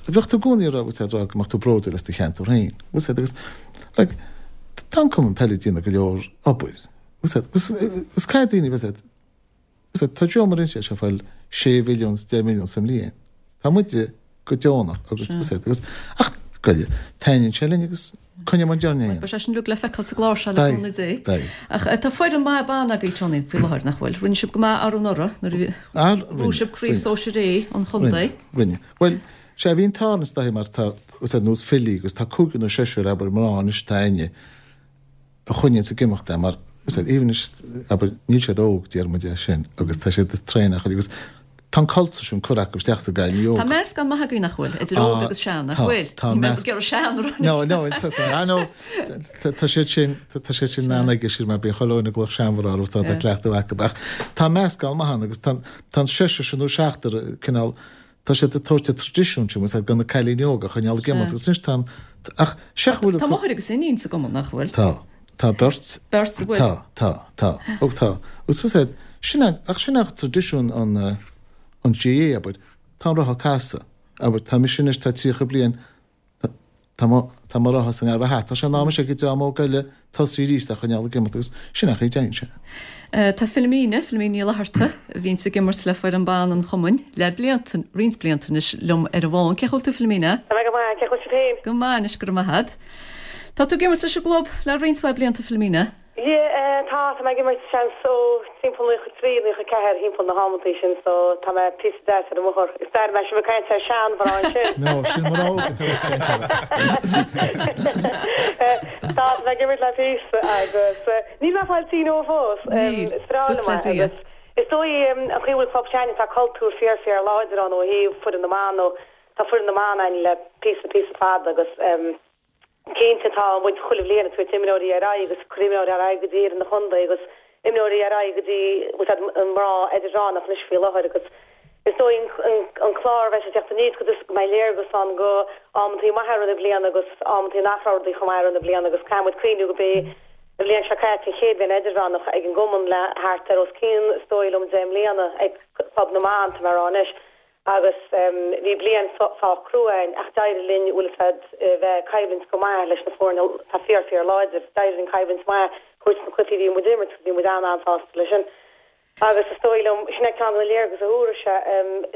bheadh tú i gcónaí ag rá, bhfuil 's a'd, rá go mbeadh tú bródúil as do cheantar féin, bhfuil 's a'd agus like tá an cumann peile ag déanamh go leor obair, bhfuil 's a'd, agus agus caithfidh daoine, bhfuil 's a'd, bhfuil 's a'd, tá Joe mar inse sé ag fáil sé mhilliún is deich milliún sa mbliain, tá muide go deonach agus bhfuil 's a'd agus ach goile, taitníonn sé linn agus coinneoidh muid orainn é. Beidh sé sin uilig le feiceáil sa gclár seo le Beidh, cúnamh Dé. beidh. Ach tá foireann maith ban agaibh Tony faoi láthair, nach bhfuil? Rinne sibh go maith arú anuraidh nuair a bhuaigh sibh Craobh Sóisir A an chontae. Rinne, rinne. Bhuel, sea, bhí an t-ádh linn is dóigh mar tá, bhfuil 's a'd, nós Philly agus tá cúigear nó seisear abair mná anois atá againne a choinníonns ag imeacht é mar, bhfuil 's a'd, even anois, abair, níl siad óg, déarfaidh muid é sin, agus tá siad ag traenáil agus tá an cultúr sin curtha acu isteach sa gcailíní óga. Tá meascán maith agaibh nach bhfuil, idir óg agus sean, nach Tá, bhfuil? tá Ní mé measc- ag iarraidh sean a rá. No, no, it's, it's, I know, tá tá siad sin, tá tá siad sin an-aige sin mar bíonn chuile dhuine ag glaoch seanmhná orthu tá tá cleachtadh acu ach tá meascán maith ann agus tá tá an seisear sin nó seachtar cineál Tá siad ag tabhairt an traidisiún sin, bhfuil 's a'd, do na cailíní óga a choinneáil ag imeacht agus anois tá an, ach seach bhfuil Tá máthair agus iníon sa gcumann, nach bhfuil? Tá. Tá beirt. Beirt a bhfuil? Tá, tá, tá. Ó tá. Agus bhfuil 's a'd, sin é, ach sin é traidisiún an, an GAA, abair. Tá an roth ag casadh. Abair, tá mise anois, tá tríocha bliain, Tá mo, tá mo rotha sa ngarraí. Tá sé in am anois ag an dream óg eile tosú arís á choinneáil ag imeacht agus sin é an chaoi a dtéann sé. Tá Philomena, Philomena Ní Fhlatharta, a bhíonns ag imirt le foireann ban an chumainn le blianta, roinnt blianta anois, liom ar an bhfón. Cén chaoi a bhfuil tú Philomena? Tá mé go maith, cén chaoi a bhfuil sibh féin? Go maith anois, go raibh maith agat. Tá tú ag imirt leis an gclub le roinnt mhaith blianta Philomena? Yeah, tá tá, tá mé ag imirt seans ó timpeall naocha trí, naocha ceathair, thimpeall na hamantaí sin so tá mé píosa deas ar an mbóthar. Is dóigh mé sibh ag caint ar seanmhná ansin. No, sin mná óga atá ag caint air. Tá, tá mé ag imirt le píosa agus níl mé ag fáil tinn ó fós. Níl, Is breá liom buíochas le é Dia. agus is dóigh an chaoi a bhfuil club s'againne tá cultúr fíor fíor láidir ann ó thaobh foireann na mban ó tá foireann na mban ann le píosa píosa fada agus Cinnte tá muid chuile bhliain ag tabhairt imreoirí ar aghaidh agus cur imreoirí ar aghaidh go dtí fhoireann an chontae agus imreoirí ar aghaidh go dtí bhfuil an mná idirmheánach anois faoi láthair agus is dóigh an an clár a bheas ag teacht aníos go go mbeidh léargas ann go amantaí maithe i rith na bliana agus amantaí nach raibh rudaí chomh maith i rith na bliana agus caithfidh muid cuimhniú go b'é an bhliain seo caite an chéad bhliain idirmheánach ag an gcumann le thart ar os cionn is dóigh liom deich mbliana ag Club na mBan tá mé a rá anois. Agus bhí bliain sách crua againn ach d'éirigh linn, bhfuil fhios a'd, bheith ag coimhlint go maith leis na foirne atá fíor fíor láidir. D'éirigh linn coimhlint maith a thabhairt sna cluichí a bhí muid ag imirt agus bhí muid an-an-sásta leis sin. Agus is dóigh liom, sin é ceann de na léargas a thabharfaidh sé.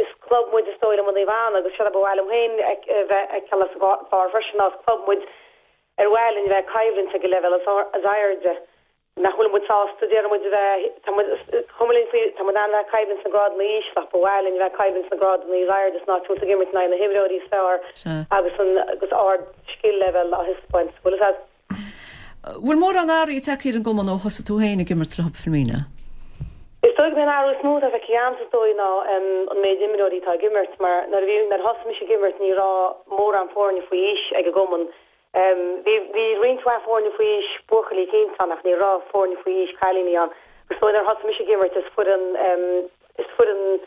Is club muid is dóigh liom i Naomh Anna agus seo a ba mhaith liom féin a bheith ag feiceáil sa gclár freisin ná is club muid ar mhaith linn bheith ag coimhlint ag an leibhéal is airde. Nach bhfuil muid sásta, déarfaidh muid, a bheith, tá muid, is cuma linn faoi, tá muid in ann a bheith ag coimhlint sna grádanna ísle ach ba mhaith linn a bheith ag coimhlint sna grádanna is airde san áit a bhfuil tú ag imirt in aghaidh na himreoirí is fearr agus an, agus ard scil leibhéal á thaispeáint. Bhfuil fhios a'd? Bhfuil mórán athraithe tagtha ar an gcumann ó thosaigh tú féin ag imirt leo, Philomena? Is dóigh gurb é an athrú is mó atá feicthe a'msa is dóigh ná an méid imreoirí atá ag imirt mar nuair a bhí, nuair a thosaigh mise ag imirt ní raibh mórán foirne faoi aois ag an gcumann. Bhí bhí roinnt mhaith foirne faoi aois buachaillí cinnte ann ach ní raibh foirne faoi aois cailíní ann. Agus nuair a thosaigh mise ag imirt is foireann is foireann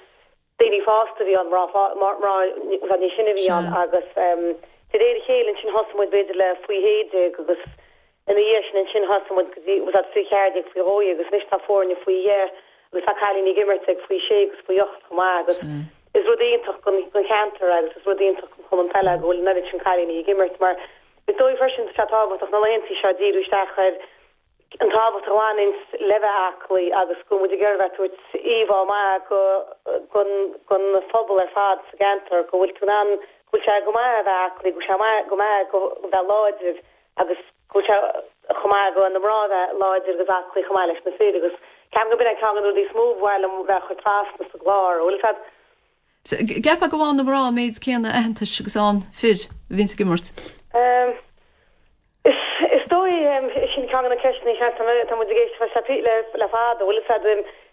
daoine fásta a bhí ann, mná mná i bhfad níos sine a bhí ann agus de réir a chéile ansin thosaigh muid b'fhéidir le faoi shé déag agus ina dhiaidh sin ansin thosaigh muid go dtí bhfuil fhios a'd faoi cheathair déag faoi dhó dhéag agus anois tá foirne faoi dheich agus tá cailíní ag imirt ag faoi shé agus faoi ocht chomh maith agus is rud iontach don don cheantar agus is rud iontach don chumann peile go bhfuil an oiread sin cailíní ag imirt mar is dóigh freisin tá sé tábhachtach na laethantaí seo díriú isteach ar an tábhacht a bhaineanns le bheith aclaí agus go bhfuil muid ag iarraidh bheith ag tabhairt íomhá maith go gon gon phobal ar fad sa gceantar go bhfuil tú in ann go bhfuil sé go maith a bheith aclaí go bhfuil sé maith go maith go bheith láidir agus go bhfuil sé chomh maith go na mná a bheith láidir agus aclaí chomh maith leis na fir agus ceapaim go b'in é ceann de na rudaí is mó ba mhaith liom bheith a chur trasna sa gclár, bhfuil fhios a'd. Ceapfá go bhfaigheann na mná an méid céanna aitheantais agus a fhaigheann fir a bhíonns ag imirt? Is dóigh, sin ceann de na ceisteanna seans tá muid ag éisteacht le le fada, bhfuil fhios a'd,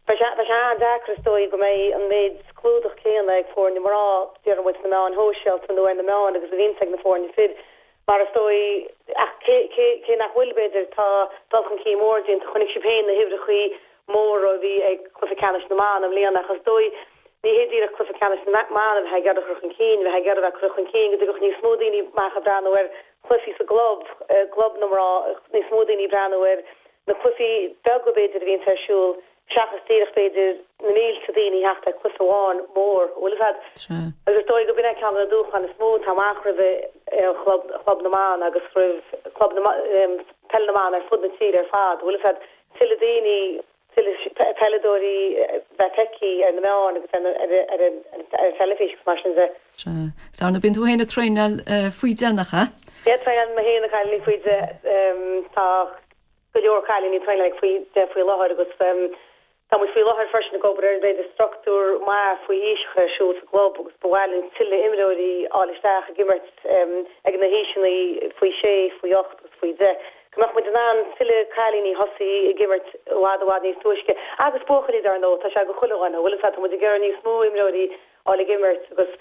beidh sé beidh sé an-deacair is dóigh go mbeidh an méid clúdach céanna ag foirne mná, déarfaidh muid sna meáin shóisialta nó ar na meáin agus a bhíonns ag na foirne fir. Mar is dóigh, ach cé cé cé nach bhfuil b'fhéidir, tá dul chun cinn mór déanta, chonaic sibh féin na huimhreachaí móra a bhí ag Cluiche Ceannais na mBan i mbliana ach is dóigh, ní hé díreach Cluiche Ceannais na mBan a bheith ag iarraidh a chur chun cinn, bheith ag iarraidh a bheith ag cur chun cinn go dtigeadh níos mó daoine amach ag breathnú ar chluichí sa gclub, gclub na mná, níos mó daoine ag breathnú ar na cluichí beaga b'fhéidir a bhíonns ar siúl seachas díreach b'fhéidir na mílte daoine a theacht ar chluiche amháin mór, bhfuil fhios a'd. Agus is dóigh go b'in é ceann de na dúshláin is mó atá amach roimh chlub, chlub na mban agus roimh chlub na, peil na mban ar fud na tíre ar fad, bhfuil fhios a'd, tuilleadh daoine tuilleadh peileadóirí bheith feicthe ar na meáin agus ar an teilifís agus mar sin de. Sea. Is ar ndóigh bíonn tú féin ag traenáil faoi deich nach ea? Yeah, traenálann mé féin na cailíní faoi deich. Tá go leor cailíní ag traenáil ag faoi deich faoi láthair agus tá muid faoi láthair freisin ag obair ar b'fhéidir struchtúr maith faoi aois a chur ar siúl sa gclub agus ba mhaith linn tuilleadh imreoirí a fháil isteach ag imirt ag na haoiseanna faoi sé, faoi ocht agus faoi deich. Go mbeadh muid in ann tuilleadh cailíní thosaí ag imirt i bhfad i bhfad níos túisce. Agus buachaillí dar ndóigh, tá sé go chuile dhuine, bhfuil fhios a'd, tá muid ag iarraidh níos mó imreoirí a fháil ag imirt agus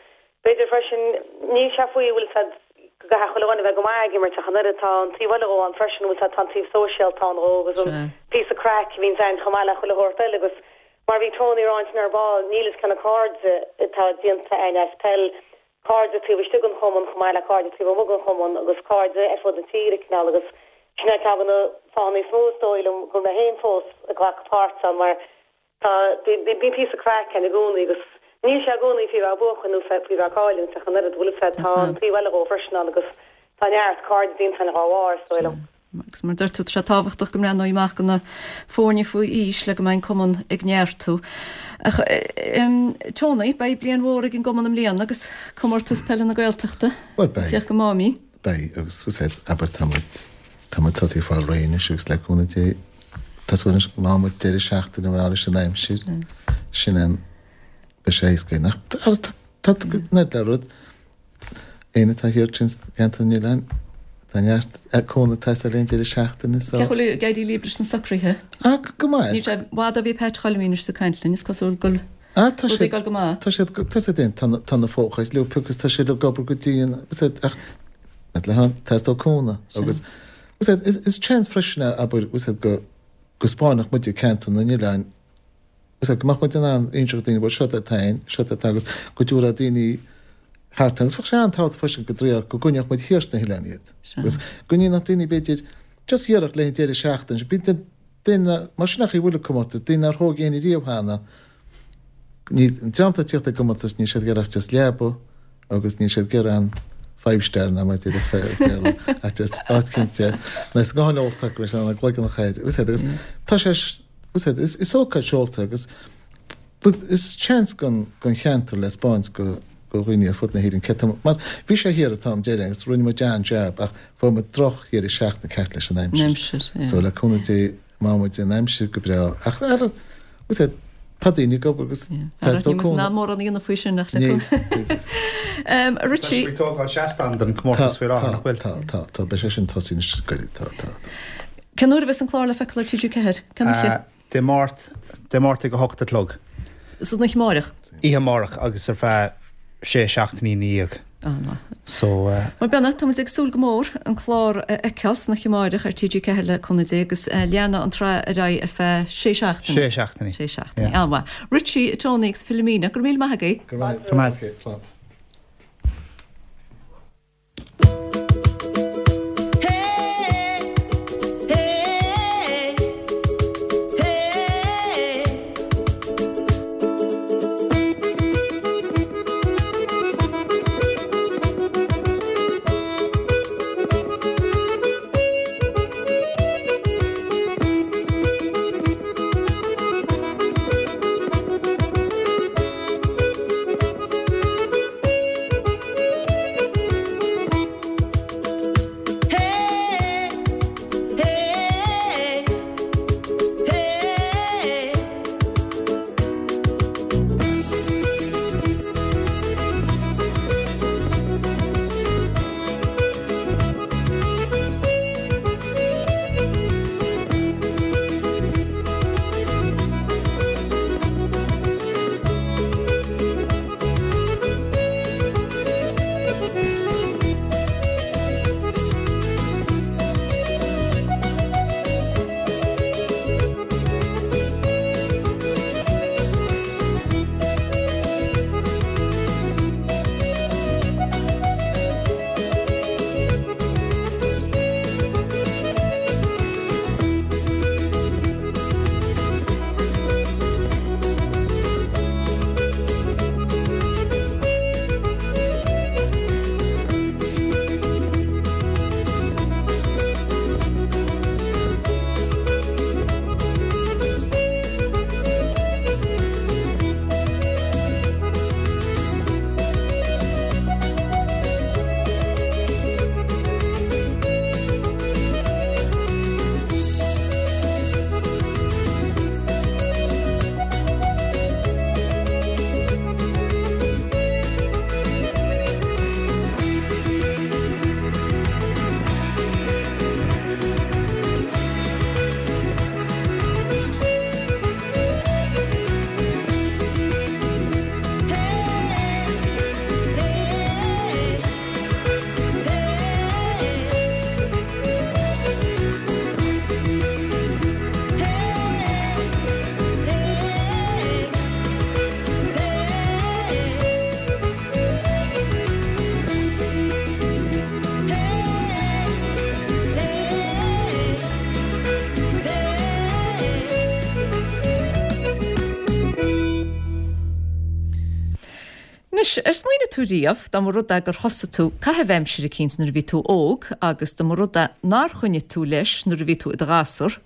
b'fhéidir freisin, níl sé faoi, bhfuil fhios a'd, go gcaithfidh chuile dhuine a bheith go maith ag imirt ach an oiread, tá an taobh eile dhó ann freisin, bhfuil fhios a'd, tá an taobh sóisialta ann dhó agus an píosa craic a bhíonns ann chomh maith le chuile shórt eile agus mar a bhí Tony a rá ansin ar ball, níl fhios cé na cairde atá déanta a'inn as peil, cairde taobh istigh den chumann chomh maith le cairde taobh amuigh den chumann agus cairde ar fud na tíre cineál agus sin é ceann de na fáthanna is mó is dóigh liom go bhfuil mé féin fós ag glacadh páirt ann mar tá bíonn píosa craic ann i gcónaí agus níl sé i gcónaí faoi bheith ag buachan nó faoi bheith ag cailliúint ach an oiread bhfuil fhios a'd tá an taobh eile dhó freisin ann agus tá neart cairde déanta ann dhá bharr is dóigh liom. Agus mar a deir tú, tá sé tábhachtach go mbreathnófaí amach do na foirne faoi aois le go mbeidh an cumann ag neartú. Ach Tony, beidh bliain mhór ag an gcumann i mbliana agus Comórtas Peile na Gaeltachta Bhuel, beidh. ag teacht go Máimín. Beidh, agus tú said, abair, tá muid, tá muid tosaithe ag fáil réidh anois agus le cúnamh Dé, Tá súil anois má muid deireadh seachtaine mar leis an aimsir sin an beidh sé éasca. Ach tá tá le rud éinne atá thiar sin ceantar na nOileán tá neart cúnamh ag teastáil aon deireadh seachtaine so. Cén chaoi a bhfuil ag éirí libh leis na socruithe? Ah go maith. Níl sé i bhfad ó bhí Pat Choilmín anois ag caint linn, is cosúil go bhfuil Ah tá rudaí siad ag dul go maith. tá siad tá siad tá na tá na fócais leo agus tá siad ag obair go dian ach le haghaidh teastóidh cúnamh agus is is chance freisin é abair go go spáinfeadh muid ceantar na nOileán go mbeadh muid in ann inseacht daoine bhuel seo atá ann, seo atá agus go dtabharfadh daoine thart agus bheadh sé an-tábhachtach freisin go dtriail go gcoinneodh muid thiar sna hoileáin iad agus go ndéanfadh daoine b'fhéidir just iarracht le haghaidh deireadh seachtaine bíonn duine mar sin nach í bhfuil ag comórtas daoine nár thóg éinne riamh cheana ní an dream atá ag tíocht ag gcomórtas níl siad ag iarraidh ach just leaba agus níl siad ag iarraidh an five star ná mar deir Béarla ach just áit cinnte níos gutháin ólta acu leis an gcloigeann a chaid agus agus tá sé is is ócáid seolta agus is chance don don cheantar le spáint go go dhaoine ar fud na hÉireann cé tá mar bhí sé thiar an t-am deireadh agus rinne muid an-jab ach fuair muid droch dheireadh seachtaine ceart leis an aimsir. Aimsir, yeah. So le cúnamh Dé má muid an aimsir go breá ach ar Tá daoine ag obair agus teastóidh cúnamh. Ní mórán a dhéanamh faoi sin ach le cúnamh. Richie. Tá sibh ag tógáil seastán don chomórtas faoi láthair, nach bhfuil? Tá, tá, tá, beidh sé sin tosaithe anois go gairid, tá, tá, tá. Cén uair a bheas an clár le feiceáil ar T G ceathair? Cén oíche? Dé Máirt, Dé Máirt ag a hocht a chlog. San oíche amárach? Oíche amárach agus ar feadh sé seachtainí ina dhiaidh. An-mhaith. So. Bhuel beannacht, tá muid ag súil go mór an clár a fheiceáil san oíche amárach ar T G ceathair le cúnamh Dé agus leanfaidh an tsraith ar aghaidh ar feadh sé seachtainí. Sé seachtainí. Sé seachtainí. An-mhaith. Richie, Tony agus Philomena, go raibh míle maith agaibh. Go raibh maith agat. Slán. Anois, ar smaoinigh tú riamh, dá mba rud é gur thosaigh tú caitheamh aimsire eicínt nuair a bhí tú óg agus dá mba rud é nár choinnigh tú leis nuair a bhí tú i do ghasúr,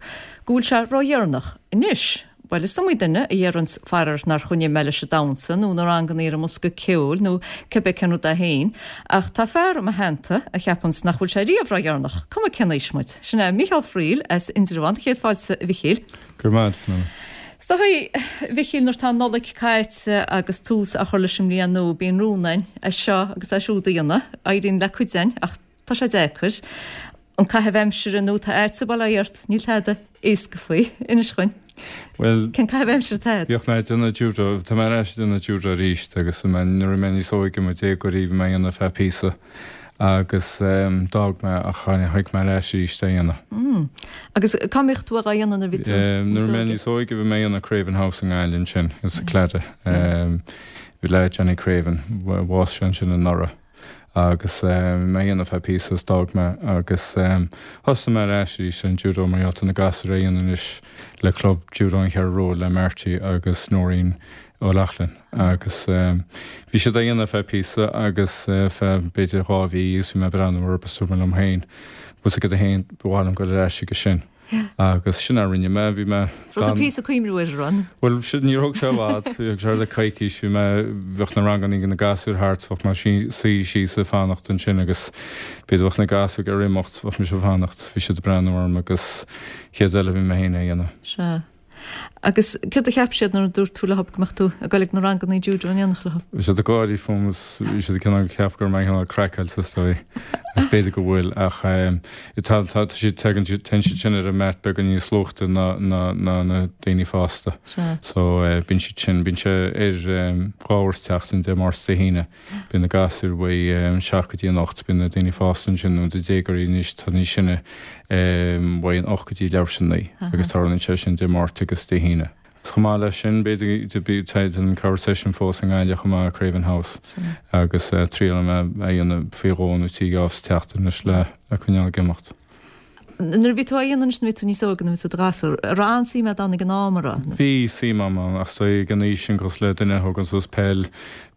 go bhfuil sé ródheireanach anois? Bhuel, is iomaí duine a dheireanns faraor nár choinnigh mé leis an damhsa nó na ranganna ar an mbosca ceoil nó cibé cén rud é féin, ach tá fear i mo theannta a cheapanns nach bhfuil sé riamh ródheireanach, cuma cén aois muid. Sin é Mícheál Friel as Indreabhán. Céad fáilte, a Mhichíl. Go raibh maith agat, Fionnuala. Is dóigh, a Mhichíl, nuair atá an Nollaig caite agus tús á chur leis an mbliain nua, bíonn rún againn é seo agus é siúd a dhéanamh. Éiríonn le cuid againn ach tá sé deacair. An caitheamh aimsire nó tá ait sa bhaile ort, níl tada éasca faoi. Inis dhuinn. Bhuel, Cén caitheamh aimsire atá agat? Bhíodh mé ag déanamh judo, tá mé ar ais ag déanamh judo arís agus nuair a bhí mé níos óige, i mo dhéagóirí, bhí mé á dhéanamh feadh píosa agus d'fhág mé ach tháinig mé ar ais arís á dhéanamh. Mm. Agus cá mbíodh tú á dhéanamh nuair a bhí tú níos óige? Nuair a bhí mé níos óige bhí mé á dhéanamh Craven House i nGaillimh ansin, sa Claddagh. Bhí le Johnny Craven, bhásaigh sé ansin anuraidh. Agus bhí mé á dhéanamh feadh píosa is d'fhág mé agus thosaigh mé ar ais arís ar an judo mar gheall tá na gasúir á dhéanamh anois le club judo an Cheathrú Rua le Marty agus Noreen O'Loughlin agus bhí siad á dhéanamh feadh píosa agus feadh b'fhéidir dhá mhí agus bhí mé ag breathnú orthu agus dúirt mé liom féin, bhfuil 's agat féin, ba mhaith liom dul ar ais chuige sin. Agus sin a rinne mé, bhí mé Rud gan. píosa cuimhniú air, a Ron. Bhuel, sin, níor thóg sé i bhfad, bhí sé le coicís, bhí mé, bheadh na ranganna ag na gasúir thart, bheadh mé suí síos ag fanacht ansin agus b'fhéidir bheadh na gasúir ag imeacht, bheadh mise ag fanacht, bhí siad ag breathnú orm agus chéad eile bhí mé féin á dhéanamh. Sea. Agus céard a cheap siad nuair a dúirt tú leo go mbeadh tú ag dul ag na ranganna judo in éineacht leo? Bhí siad ag gáirí fúm is bhí siad ag cineál ceapadh go raibh mé cineál craiceáilte is dóigh. Agus b'fhéidir go bhfuil ach tá tá siad tagann siad téann siad sin ar an mat beagán níos luaithe ná ná ná na daoine fásta. Sea. So bíonn siad sin bíonn sé ar dhá uair sa tseachtain Dé Máirt is Dé hAoine. Bíonn na gasúir uaidh seacht go dtí an ocht, bíonn na daoine fásta ansin nó na déagóirí anois atá níos sine uaidh an ocht go dtí leathuair tar éis a naoi agus tarlaíonn sé sin Dé Máirt agus Dé hAoine. Agus chomh maith leis sin, b'fhéidir tá an cabhair session fós i nGaillimh chomh maith, Craven House, agus triailim é a dhéanamh faoi dhó nó trí geábh sa tseachtain anois le coinneáil ag imeacht. Nuair a bhí tú á dhéanamh anois, nuair a bhí tú níos óige, nuair a bhí tú i do ghasúr, an raibh an-suim agat ann ag an am, an raibh? Bhí suim agam ann, ach is dóigh ag an aois sin cosúil le duine a thógann suas peil,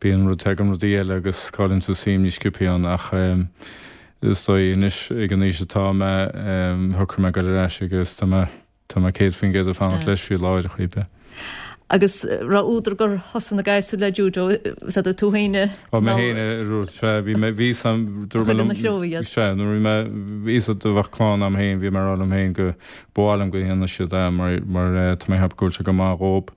bíonn rud, tagann rudaí eile agus cailleann tú suim níos sciobtha ann ach is dóigh anois ag an aois atá mé, shocraigh mé dul ar ais agus tá mé, tá mé céad faoin gcéad ag fanacht leis faoi láthair ar chaoi ar bith. Agus raibh údar gur thosaigh na gasúir le judo, is ea tú féin a. Ó mé féin a rud, sea, bhí mé, bhí sam, dúirt mé liom, sea, nuair bhí mé, bhí fhios a'd bheadh clann a'm féin, bhí mé ag rá liom féin go ba mhaith liom go ndéanfadh siad é mar, mar tá mé ag ceapadh go bhfuil sé go maith dhób,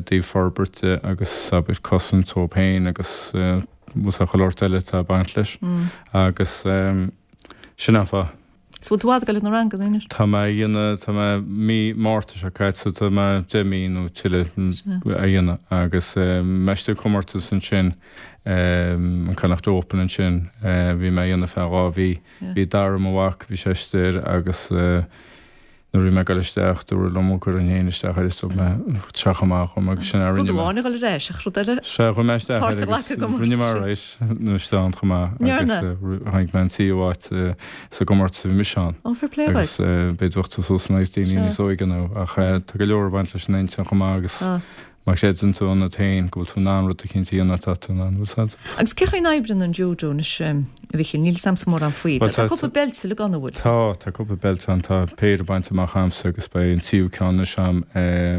dtaobh forbairt de agus abair cosaint dóibh féin agus bhfuil sé chuile shórt eile atá ag baint leis agus sin an fáth. So bhfuil tú i bhfad ag dul ag na ranganna anois? Tá mé a dhéanamh, tá mé mí Márta seo caite, tá mé deich mí nó tuilleadh a dhéanamh agus mé istigh comórtas ansin, an Connacht Open ansin, bhí mé a dhéanamh feadh dhá mhí. Bhí Dara, mo mhac, bhí sé istigh air agus nuair a bhí mé ag dul isteach, dúradh liom go gcuirfinn féin isteach air is dúirt mé tá sé chomh maith dhom agus sin a Rud rinne mé. amháin a dhul ar ais ach rud eile Sea, chuaigh mé isteach páirt air a agus ghlacadh i gcomórtas rinne mé sin. alright nó isteach ann chomh maith agus Ndearna? tháinig mé an tríú háit sa gcomórtas a bhí mise ann. Ó, fair play Agus dhuit. b'fhéidir bheadh tú suas in aghaidh daoine Sea. níos óige nó ach tá go leor ag baint leis an intinn chomh maith agus Tá. Má chreideann tú ionat féin go bhfuil tú in ann rud eicínt a dhéanamh, tá tú in ann, bhfuil 's a'd. Agus cén chaoi a n-oibríonn an judo anois, a Mhichíl? Níl 'fhios a'msa mórán faoi. Bhuel, Tá tá, cúpla beilt uilig ann, an bhfuil? tá, tá cúpla beilt ann. Tá péire bainte amach a'msa agus beidh an tríú ceann anois a'm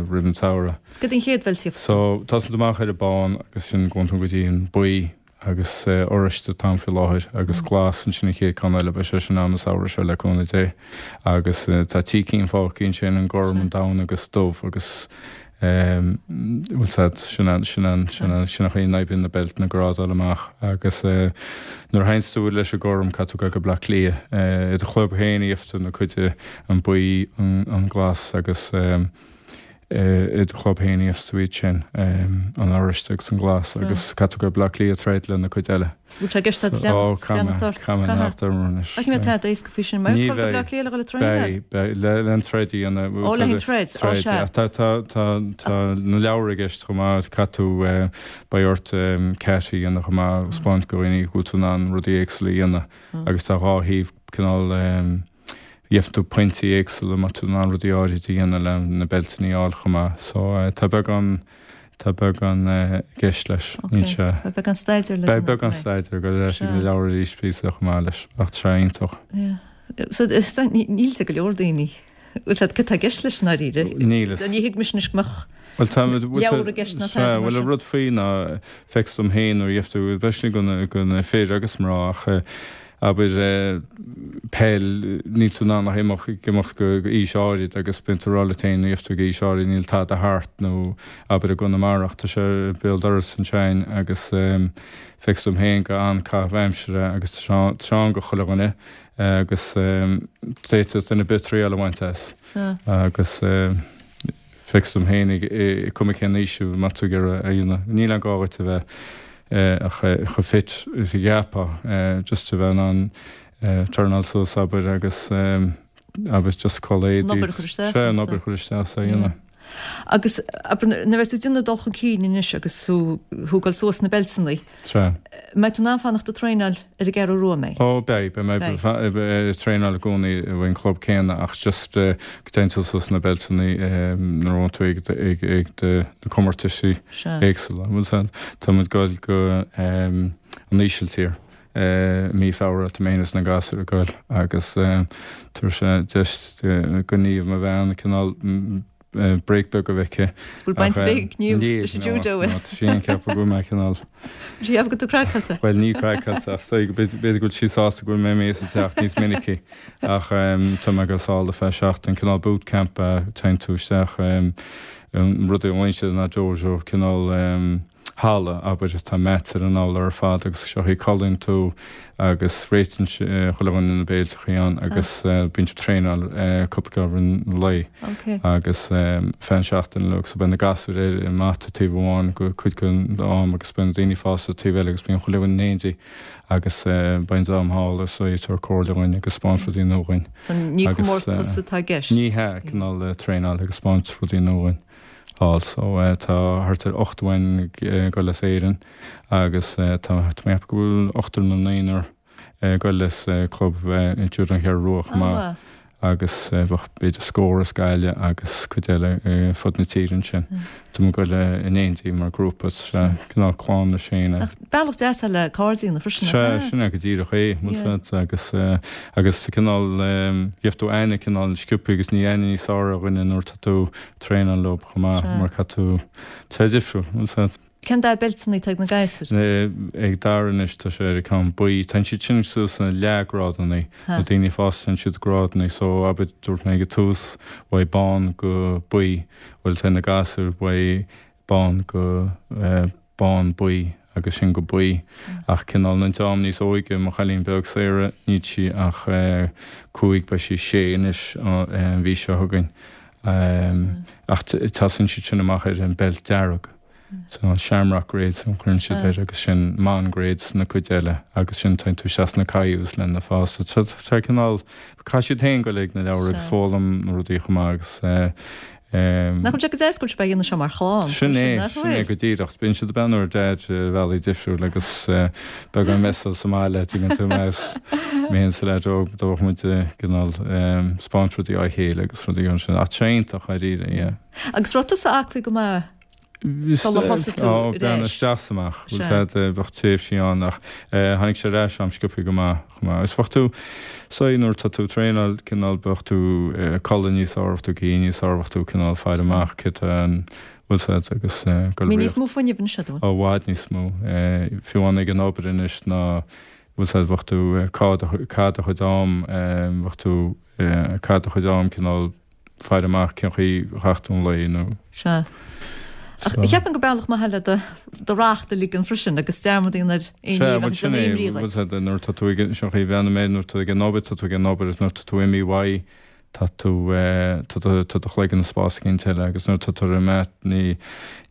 roimh an tsamhradh. Is cad é an chéad bheilt a gheofas tú? So, tosaíonn tú amach ar an bán agus sin gabhann tú go dtí an buí agus oráiste atá ann faoi láthair agus glas ansin an chéad ceann eile, beidh sé sin a'm an samhradh seo le cúnamh Dé. Agus tá trí cinn fágtha ansin, an gorm, an donn agus dubh agus bhfuil 's a'd, sin an, sin an, sin an, sin an chaoi a n-oibríonn na beilteanna grádáil amach agus nuair a théanns tú leis an gorm caithfidh tú dul go Bleá Cliath. I do chlub féin a gheofas tú na cuid, an buí, an glas agus. I do chlub féin a gheofas tú iad sin, an oráiste agus an glas, agus caithfidh tú dul go Baile Átha Cliath troid le na cuid eile. Is bhfuil sé i gceist agat leanacht leanacht ort? Caithfidh mé leanacht orm anois. Ach ní bheidh tada éasca faoi sin. Mar Ní dul go Baile bheidh. Átha Cliath le dhul ag traenáil? Beidh, beidh. Le le an troid a dhéanamh. Ó, le haghaidh an troid, ó Troid, sea. yeah. Tá, tá, tá, tá na leabhair i gceist chomh maith, caithfidh tú, beidh ort kata a dhéanamh chomh maith, spáint do dhaoine go bhfuil tú in ann rudaí éagsúla a dhéanamh agus tá dhá thaobh cineál, Gheofas tú pointí éagsúla má tá tú in ann rudaí áirid a dhéanamh le na beilteanna a fháil chomh maith. So tá beagán, tá beagán i gceist leis. Níl Ok, sé. beidh beagán staidéir le Beidh déanamh beagán agat. staidéir, go ar ais ag na Sea. leabhair arís píosa chomh maith leis, ach tá sé iontach. Yeah. So, níl 'fhios ag go leor daoine. Bhfuil fhios agat cad tá i gceist leis i ndáiríre? Níl fhios. Ní thuig mise anois go mbeadh Bhuel tá muid leabhar i gceist ná tada mar Bhuel an sin. rud faoi ná feictear dom féin nuair a gheibh tú especially go na go na fir agus mná ach abair peil níl tú in ann ach imeacht ag imeacht go go aois áirid agus bíonn tú ag rá leat féin nuair a gheibh tú go aois áirid níl tada thart nó abair i gConamara ach tá sé béal dorais ansin agus feictear dom féin go an-caitheamh aimsire agus tá sé tá sé ann go chuile dhuine agus d'fhéadfadh duine ar bith triail a bhaint as agus feictear dom féin cuma cén aois thú má tá tú ag iarraidh a dhéanamh. Níl aon gá dhuit a bheith ach chomh fit is a cheapfá just a bheith in ann turnáil suas abair agus abair just culaith An éadaí. obair a chur isteach Sea, an anso. obair a chur isteach sa dhéanamh. Agus abair nuair a bheas tú ag déanamh dul chun cinn anois agus tú ag thógáil suas na beilteanna, Sea. mbeidh tú in ann fanacht ag traenáil ar an gCeathrú Rua, mbeidh? Ó beidh, beidh mé Beidh. ag traenáil i gcónaí ón club céanna ach just go dtéann tú suas na beilteanna nuair a bhíonn tú ag ag ag na comórtaisí Sea. éagsúla. Bhfuil fhios agat, tá muid ag goil go an Ísiltír mí Feabhra, tá mé féin is na gasúir ag goil agus tabharfaidh sé deis do Niamh, mo bhean, cineál break beag a bheith aici. Bhfuil baint ar bith ag Niamh leis an judo, bhfuil? Tá sí ag ceapadh go bhfuil mé cineál. Bhfuil sí ag ceapadh go bhfuil tú craiceáilte? Bhuel ní craiceáilte ach b'fhéidir go bhfuil sí sásta go bhfuil mé imithe as an teach níos minicí ach tá mé ag goil sall ar feadh seachtain, cineál boot camp a téann tú isteach an rud a bhaineann siad ná dojo, cineál halla, abair, tá mats ar an urlár ar fad agus seo í codlaíonn tú agus réitíonn chuile dhuine na béilteachaí ann agus bíonn tú traenáil cúpla uair an lae agus feadh seachtain uilig so beidh na gasúir ar an mata taobh amháin go cuid den am agus beidh na daoine fásta taobh eile agus bíonn chuile dhuine in éindí agus beidh an dream thall ar seo ag tabhairt comhairle dhúinn agus spáint rudaí nua dhúinn. Ní comórtas atá i gceist? Ní hea, cineál traenáil agus spáint rudaí nua dhúinn. thall. So tá thart ar ocht againn ag goil as Éirinn agus tá tá mé ag ceapadh go bhfuil ochtar nó naonúr ag goil as club Judo an Cheathrú Rua chomh maith agus bheadh b'fhéidir scór as Gaillimh agus cuid eile fud na tíre ansin. Tá muid ag goil in éindí mar grúpa, cineál clann leis féin. Ach bealach deas le cairde a dhéanamh freisin, nach Sea, ea? sin é go díreach é, bhfuil fhios agat, agus agus cineál gheibh tú aithne cineál sciobtha agus ní aithne níos fearr ar dhuine nuair tá tú traenáil leo chomh maith mar caithfidh tú tá sé difriúil, bhfuil fhios agat. Cén dath beilteanna atá ag na gasúir? Ag Dara anois tá sé ar an ceann buí. Téann siad sin suas sna leathghrádanna, na daoine fásta téann siad grádanna so abair dúirt mé ag an tús uaidh bán go buí, bhuel tá na gasúir uaidh bán go bán buí agus sin go buí. Ach cineál an dream níos óige, mo chailín beag Sarah, níl sí ach cúig, beidh sí sé anois an mhí seo chugainn. Ach tosaíonn siad sin amach ar an beilt dearg. So an Shamrock grades a chuireann siad air agus sin Mon grades na cuid eile agus sin téann tú isteach sna Kyus le na fásta. So tá cineál, caithfidh siad féin goil ag na leabhair agus foghlaim na rudaí chomh maith agus Nach bhfuil sé go deas go bhfuil sibh á dhéanamh seo mar chlann? Sin é, Nach sin é bhfuil? go díreach. Bíonn siad ag beannú ar Daid ar bhealaí difriúla agus beagán mess sa mbaile, tuigeann tú mé is mé féin is an leaid óg, do bheadh muid cineál spáint rudaí á chéile agus rudaí ansin. Ach tá sé iontach, dáiríre, yeah. Agus raibh tusa aclaí go maith sular thosaigh tú Ó, ar bean ais? isteach is amach. Bhfuil Sea. fhios agat, bheadh tréimhsí ann ach tháinig sé ar ais a'm sciobtha go maith, chomh maith. Is bheadh tú, say nuair atá tú ag traenáil, cineál bheadh tú ag codladh níos fearr, bheadh tú ag ithe níos fearr, bheadh tú cineál faire amach céard tá an, bhfuil fhios agat, agus goil Bhí níos mó fuinnimh anois agat, an bhfuil? Ó, i bhfad níos mó. Fiú amháin ag an obair anois ná, bhfuil fhios agat, bheadh tú cad cad a chuid am, bheadh tú cad a chuid am cineál faire amach cén chaoi a chaith tú an lae nó. Sea. Ach cheapfainn gur bealach maith le do do racht a ligean freisin agus dearmad a dhéanamh ar aon ní Sea, a bhuel bheadh sin ag é, déanamh imní bhfuil dhuit. fhios agat, nuair atá tú ag, sin an chaoi a bhreathnaím air, nuair atá tú ag an obair, tá tú ag an obair agus nuair atá tú imithe uaidh, tá tú, tá do, tá do chloigeann i spás éicint eile agus nuair atá tú ar an mat ní,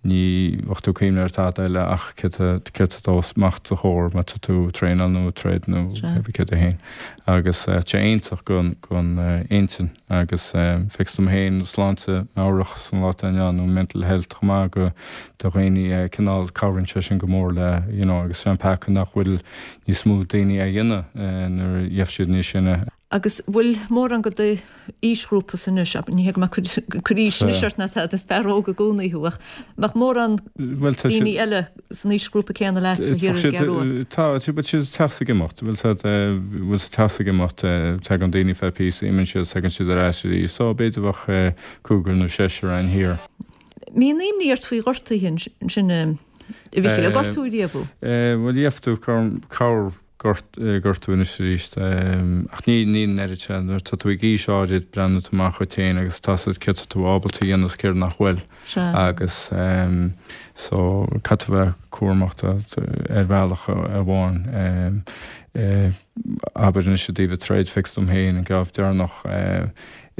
ní bheadh tú ag cuimhneamh ar tada eile ach céard tá, céard tá amach os do chomhair má tá tú ag traenáil nó ag troid nó Sea. céard é féin. Agus tá sé iontach don, don intinn agus feictear dom féin sláinte meabhrach san lá atá inniu ann nó mental health chomh maith go do dhaoine cineál cabhraíonn sé sin go mór le you know agus sé an peaca nach bhfuil níos mó daoine á dhéanamh nuair a gheibh siad níos sine. Agus bhfuil mórán go do aoisghrúpa anois, ní hé go mbeadh cur aois anois ort ná tada, is fear óg i gcónaí thú, ach mbeadh mórán daoine eile san aoisghrúpa céanna leat sa thiar ar an gCeathrú Rua? Tá, bhfuil siad ag teacht ag imeacht, bhfuil siad bhfuil siad ag teacht ag imeacht, tagann daoine feadh píosa, imíonn siad, tagann siad ar ais arís, so b'fhéidir bheadh cúigear nó seisear ann thiar. Mbíonn imní ort faoi ghortuithe ansin, a Mhicil, ar gortaíodh riamh thú? Bhuel, gheobhaidh tú corr gortú anois arís. Ach ní ní an oiread sin. Nuair atá tú ag aois áirid, breathnaíonn tú amach dhuit féin agus tá a fhios agat céard tá tú ábalta a dhéanamh is céard nach bhfuil. Agus so caithfidh tú bheith cúramach ar bhealach amháin. Abair anois i dtaobh an troid, feictear dom féin, an geábh deireanach,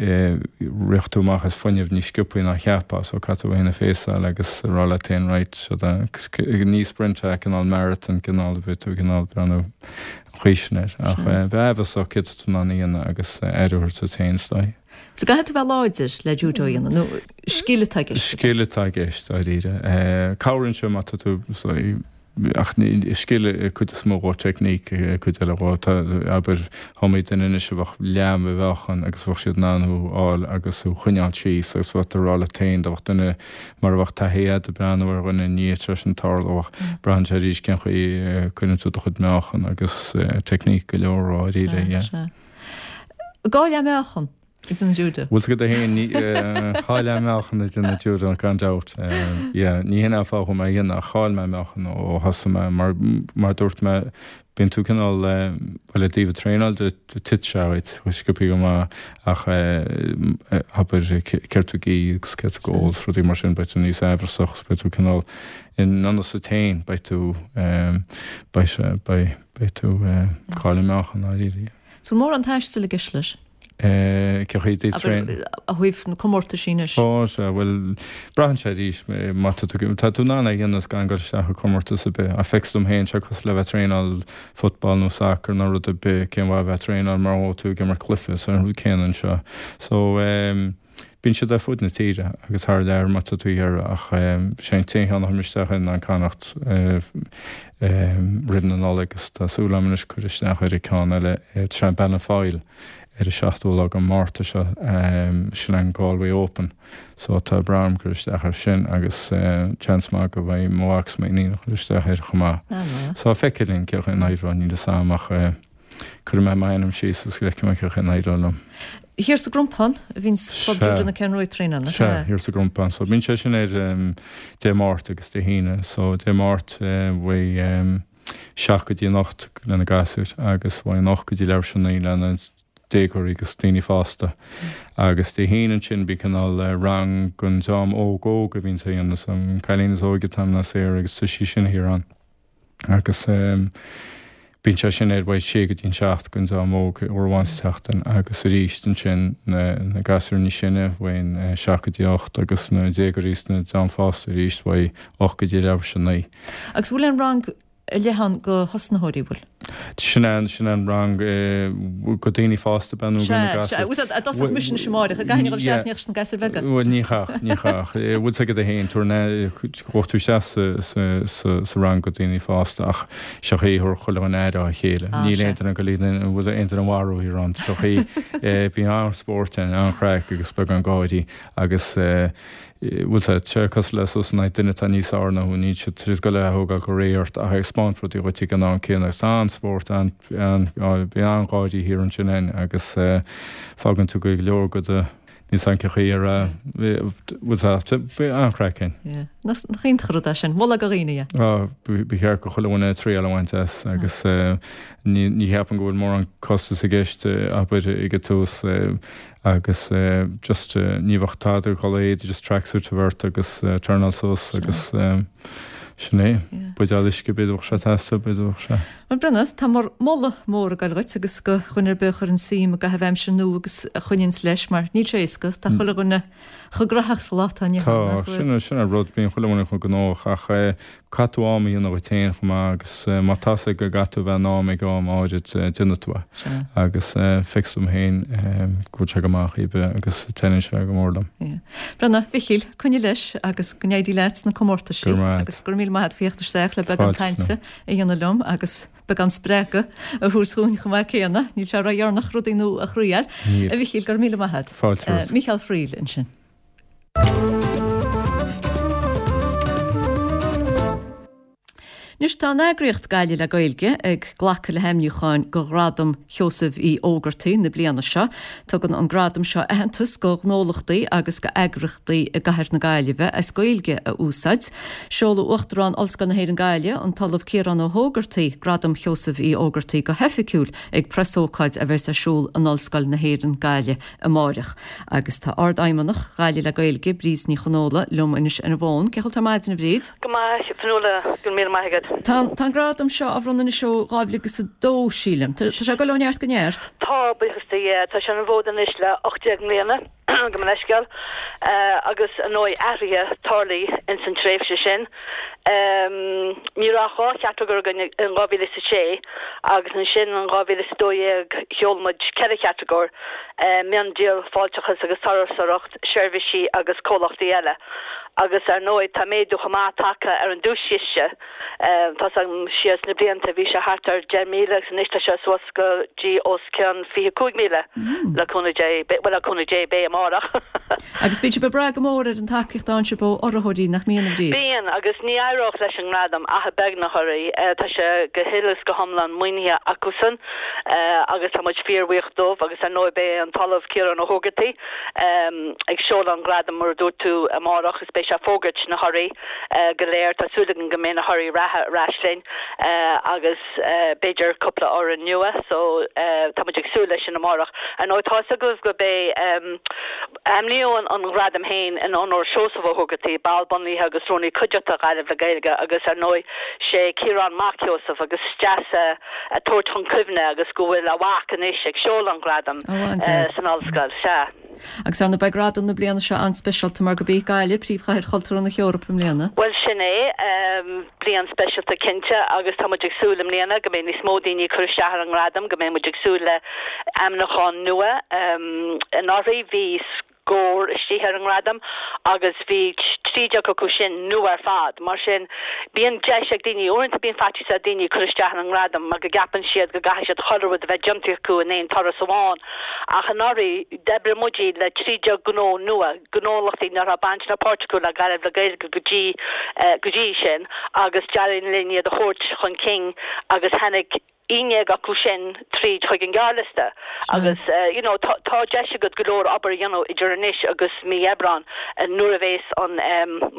rith tú amach as fuinneamh níos sciobthaí ná cheapfá, so caithfidh tú féin a phéasáil agus a rá leat féin right, seo ní sprint é, cineál marathon, cineál bheith tú cineál breathnú an chaoi sin air. Ach bheith aimhreasach céard atá tú in ann a dhéanamh agus aire a thabhairt duit féin is dóigh. So caithfidh tú bheith láidir le judo a dhéanamh, nó scil atá i gceist? Scil atá i gceist, dáiríre. Cabhraíonn sé má tá tú, Ach is scil cuid is mó dhó, teicníc cuid eile dhó. Tá, abair, iomaí duine anois a bheadh leath mo mheáchan agus bheadh siad in ann thú a fháil agus thú a choinneáil síos agus bheadh tú ag rá leat féin, dá mbeadh duine mar a bheadh taithí agat ag breathnú ar dhuine i ndiaidh tar éis an tarlú ach braitheann sé arís cén chaoi a cuireann tú do chuid meáchan agus teicníc go leor dháiríre, yeah. Sea, sea. Dhá leath meáchan? Ag déanamh judo. Bhfuil 's agat féin, dhá leath meáchan ag déanamh judo gan dabht. Yeah, ní hin an fáth a bhfuil mé a dhéanamh ach chaill mé meáchan ó thosaigh mé mar mar dúirt mé bíonn tú cineál bhuel i dtaobh an traenáil de titeann sé uait sciobthaí go maith ach abair céard tú ag ithe agus céard tú ag ól is rudaí mar sin beidh tú níos aimhreasach agus beidh tú cineál in ionnas duit féin beidh tú beidh sé beidh beidh tú cailleadh meáchan dáiríre. So mórán taistil i gceist leis? Cén chaoi i dtaobh traein? Ó thaobh na comórtaisí anois. Ó, sea, bhuel, braitheann sé arís, má tá tú, tá tú in ann é a dhéanamh gan dul isteach i comórtas ar bith. Ach feictear dom féin, sé cosúil le bheith ag traenáil football nó soccer nó rud ar bith, cén mhaith a bheith ag traenáil mura bhfuil tú ag imirt cluiche, so an rud céanna anseo. So, bíonn siad ar fud na tíre agus thar lear má tá tú ag iarraidh ach sé an t-aon cheann a chuir mé isteach air ná an Connacht roimh na Nollag agus tá súil agam anois cur isteach ar an ceann eile, tá sé in Ballinfoyle. ar an seachtú lá de Mhárta seo, sin an Galway Open. So tá brú orm cur isteach air sin agus seans maith go mbeidh mo mhac is m'iníon ag cur isteach air chomh maith. So feicfidh linn cén chaoi a n-éireoidh, níl fhios a'm ach cuirfidh mé m'ainm síos agus feicfidh mé cén chaoi a n-éireoidh liom. Thiar sa gCrompán a bhíonn Club Judo na Ceathrún Rua ag traenáil, nach ea? Sea, thiar sa gCrompán. So bíonn sé sin ar Dé Máirt agus Dé hAoine. So Dé Máirt bheidh seacht go dtí an ocht le na gasúir agus bheidh an ocht go dtí leathuair tar éis a naoi le na déagóirí agus daoine fásta. Agus Dé hAoine ansin bíonn cineál rang don dream óg óg a bhíonn á dhéanamh, so an cailín is óige atá ná Sarah agus tá sí sin thiar ann. Agus bíonn sé sin ar bheidh sé go dtí an seacht don dream óg uair amháin sa tseachtain agus arís ansin na na gasúir níos sine bheidh an seacht go dtí ocht agus na déagóirí is na dream fásta arís bheidh ocht go dtí leathuair tar éis a naoi. Agus bhfuil aon rang ar leith ann do thosnaitheoirí, bhfuil? Sin an, sin an rang do daoine fásta ab ea nó do na gasúir? Sea, sea, dá dtosódh mise anois amáireach, an gcaithfinn a dhul isteach leis na gasúir bheaga? Bhuel, ní chaithfeadh, ní chaithfeadh. Bhfuil 's agat féin, tabhair na, ghabhfadh tú isteach sa, sa, sa, sa rang do daoine fásta ach seo chaoi a thabharfadh chuile dhuine aire dá chéile. Níl aon duine ag dul iad, an bhfuil aon duine a mharú thiar ann. Seo chaoi, bíonn an-spórt ann, an-chraic agus beagán gáirí agus, bhfuil sé sé cosúil le sos in aghaidh duine atá níos fearr ná thú, níl siad tar éis dul a thógáil go réidh ort ach ag spáint rudaí dhuit ag an am céanna agus tá an-spórt, an, bíonn an-gháirí thiar ansin ann agus fágann tú go leor go do, níl 's a'm cén chaoi ar a, bhfuil sé, bíonn an-chraic ann. Yeah. Nach iontach an rud é sin, moladh do dhaoine é. Á, ba cheart go chuile dhuine triail a bhaint as agus ní, ní cheapaim go bhfuil mórán costas i gceist, abair, ag an tús. Agus just ní bheadh tada ag dul i éad, just tracksuit a bheith ort agus traenáil suas agus sin é. Buidéal uisce b'fhéidir bheadh sé ag teastáil, b'fhéidir bheadh sé. Bhuel Brendan, tá bhur moladh mór ag goil dhuit agus do dhuine ar bith a chuireann suim i gcaitheamh aimsire nua agus a choinníonns leis mar níl sé éasca, tá chuile dhuine chomh gnóthach sa lá atá inniu ann, nach bhfuil? Tá, sin, sin an rud, bíonn chuile dhuine chomh gnóthach ach Caithfidh tú am a dhéanamh dhuit féin chomh maith agus má tá 's agat go gcaithfidh tú a bheith in am ag am áirid déanfaidh tú é. Agus feictear dom féin go bhfuil sé go maith chaoi ar bith agus taitníonn sé go mór liom. Breathnaigh, a Mhichíl, coinnigh leis agus go n-éirí leat sna comórtaisí agus go raibh míle maith agat faoi theacht isteach le beagán cainte a dhéanamh liom agus beagán spreagadh a thabhairt dhúinn chomh maith céanna. Níl sé ródheireanach rudaí nua a thriail. A Mhichíl, go raibh míle maith agat. Fáilte romhat. Mícheál Friel ansin. Anois tá an eagraíocht Gaillimh le Gaeilge ag glacadh le hainmniúcháin do Ghradam Sheosaimh Uí Ógartaigh na bliana seo. Tugann an gradam seo aitheantas do ghnólachtaí agus do eagraíochtaí i gcathair na Gaillimhe as Gaeilge a úsáid. Seolfaidh Uachtarán Ollscoil na hÉireann Gaillimh, an tOllamh Ciarán Ó hÓgartaigh, Gradam Sheosaimh Uí Ógartaigh go hoifigiúil ag preasócáid a bheas ar siúl in Ollscoil na hÉireann Gaillimh amáireach. Agus tá Ardfheidhmeannach Ghaillimh le Gaeilge, Bríd Ní Chonfhaola, liom anois ar an bhfón. Cén chaoi a bhfuil tú ar maidin, a Bhríd? Go maith, a Fionnuala, go raibh míle maith agat. Tá tá an gradam seo á bhronnadh anois ó dhá mhíle agus a dó, sílim. Tá sé ag dul ó neart go neart? Tá, buíochas do Dhia. Tá sé ar an bhfód anois le ocht déag mbliana, gabh mo leithscéal, agus ar ndóigh athruithe tarlaithe ins an tréimhse sin. Ní raibh ach dhá chatagóir againn in dhá mhíle is a sé agus ansin in dhá mhíle is a dó dhéag sheol muid ceithre chatagóir, miondíol, fáilteachas agus turasóireacht, seirbhísí agus comhlachtaí eile. Agus ar ndóigh tá méadú chomh maith tagtha ar an duaischiste. Tá's agam siar sna blianta bhí sé thart ar deich míle agus anois tá sé suas go dtí os cionn fiche cúig míle le cúnamh Dé, bhuel le cúnamh Dé beidh amárach. Agus bíonn sibh ag brath go mór ar an tacaíocht a fhaigheann sibh ó urraitheoirí nach mbíonn, a Bhríd? Bíonn, agus ní éireodh leis an ngradam ach beagnach orthu. Tá sé go huile is go hiomlán maoinithe acusan agus tá muid fíorbhuíoch dóibh agus ar ndóigh beidh an tOllamh Ciarán Ó hÓgartaigh ag seoladh an ghradaim mar a dúirt tú amárach is beidh sé ag fógairt na thorthaí go léir. Tá súil againn go mbeidh na thorthaí reatha ar ais linn agus b'fhéidir cúpla fhoireann nua so tá muid ag súil leis sin amárach. Ar ndóigh tá 'fhios agaibh go b'é ainmníodh an gradam féin in onóir Seosamh Ó hÓgartaigh, ball bunaithe agus rúnaí cuideachta Ghaillimh le Gaeilge agus ar ndóigh sé Ciarán mac Sheosaimh agus is deas é a tabhairt chun cuimhne agus go bhfuil a mhac anois ag seoladh an ghradaim san ollscoil. Sea. Agus ar ndóigh beidh gradam na bliana seo an-speisialta mar gurb í Gaillimh príomhchathair chultúrtha na hEorpa i mbliana. Bhuel sin é, bliain speisialta cinnte agus tá muid ag súil i mbliana go mbeidh níos mó daoine ag cur isteach ar an ngradam, go mbeidh muid ag súil le ainmniúcháin nua. Anuraidh bhí scór istigh ar an ngradam agus bhí trí déag acu sin nua ar fad. Mar sin, bíonn deis ag daoine, uaireanta bíonn faitíos ar daoine cur isteach ar an ngradam mar go gceapann siad go gcaithfidh siad chuile rud a bheith déanta acu in aon turas amháin. Ach anuraidh, d'oibrigh muid le trí déag gnó nua, gnólachtaí nach raibh baint ná páirt acu le Gaillimh le Gaeilge go dtí go dtí sin agus d'éirigh linn iad a thabhairt chun cinn agus tháinig aon déag acu sin tríd chuig an ghearrliosta agus you know tá tá deis agat go leor obair a dhéanamh idir anois agus mí Aibreán nuair a bhéas an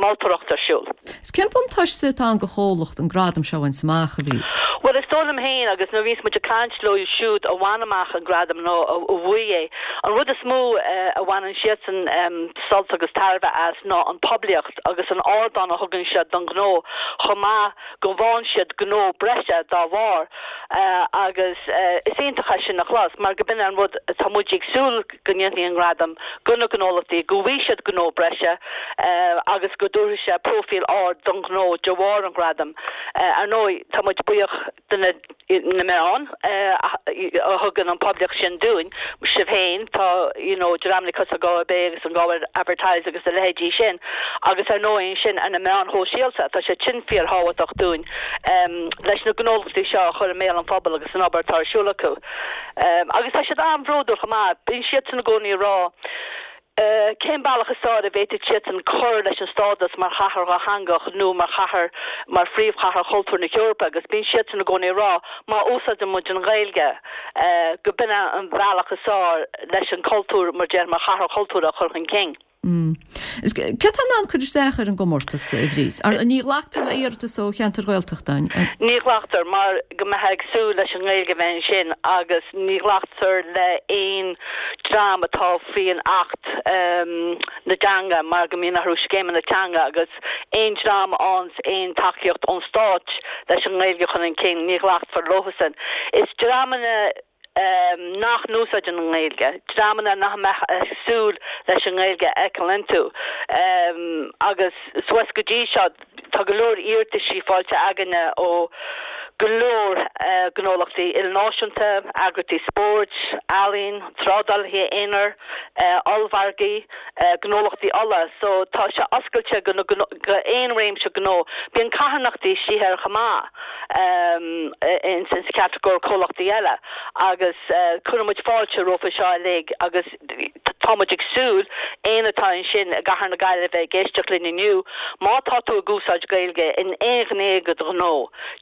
moltóireacht ar siúl. Is cén buntáiste atá ann do chomhlacht an gradam seo a bhaint amach, a Bhríd? Bhuel is dóigh liom féin agus nuair a bhíos muid ag caint leo siúd a bhain amach an gradam nó a bhuaigh é, an rud is mó a bhaineann siadsan sult agus tairbhe as ná an poiblíocht agus an ardán a thugann siad don ghnó chomh maith go bhfaigheann siad gnó breise dá bharr agus is iontach é sin a chlos mar go b'in an rud atá muid ag súil go ndéanfaidh an gradam do na gnólachtaí, go bhfaighidh siad gnó breise agus go dtabharfaidh sé próifíl ard don ghnó de bharr an ghradaim. Ar ndóigh, tá muid buíoch de na na meáin a thugann an poiblíocht sin dúinn, sibh féin, tá you know dreamanna cosúil le Galway Bay agus an Galway Advertiser agus a leithéidí sin agus ar ndóigh ansin ar na meáin shóisialta, tá sé sin fíorthábhachtach dúinn leis na gnólachtaí seo a chur i mbéal an phobail agus an obair atá ar siúl acu. Agus tá siad an-bhródúil chomh maith, bíonn siadsan i gcónaí ag rá, Cén bealach is fearr a bhféadfadh siadsan cur leis an stádas mar chathair dhátheangach nó mar chathair, mar phríomhchathair chultúir na hEorpa agus bíonn siadsan i gcónaí ag rá má úsáideann muid an Ghaeilge go b'in é an bealach is fearr leis an cultúr mar déarfá mar chathair chultúrtha a chur chun cinn. Is cé atá in ann cur isteach ar an gcomórtas, a Bhríd? Ní ghlactar le iarratas ó cheantair Ghaeltachta, an ea? Ní ghlactar mar go mbeifeá ag súil leis an nGaeilge a bheith ansin agus ní ghlactar le aon dream atá faoin Acht na dTeanga mar go mbíonn orthu scéimeanna teanga agus aon dream a fhaigheanns aon tacaíocht ón Stát leis an nGaeilge a chur chun cinn, ní ghlacfar leosan. Is dreamanna nach n-úsáideann an Ghaeilge, dreamanna nach mbeadh ag súil leis an nGaeilge a fheiceáil iontu. Agus suas go dtí seo, tá go leor iarrataisí faighte againne ó go leor gnólachtaí ilnáisiúnta, eagraíochtaí spóirt, ealaíon, trádálaithe aonair, ollmhargaí, gnólachtaí ola. So tá sé oscailte go go aon réimse gnó. Bíonn carthanachtaí istigh air chomh maith in sa chatagóir comhlachtaí eile agus cuireann muid fáilte rompu seo uilig agus tá muid ag súil éinne atá ansin i gCathair na Gaillimhe ag éisteacht linn inniu, má tá tú ag úsáid Gaeilge in aon ghné de do ghnó,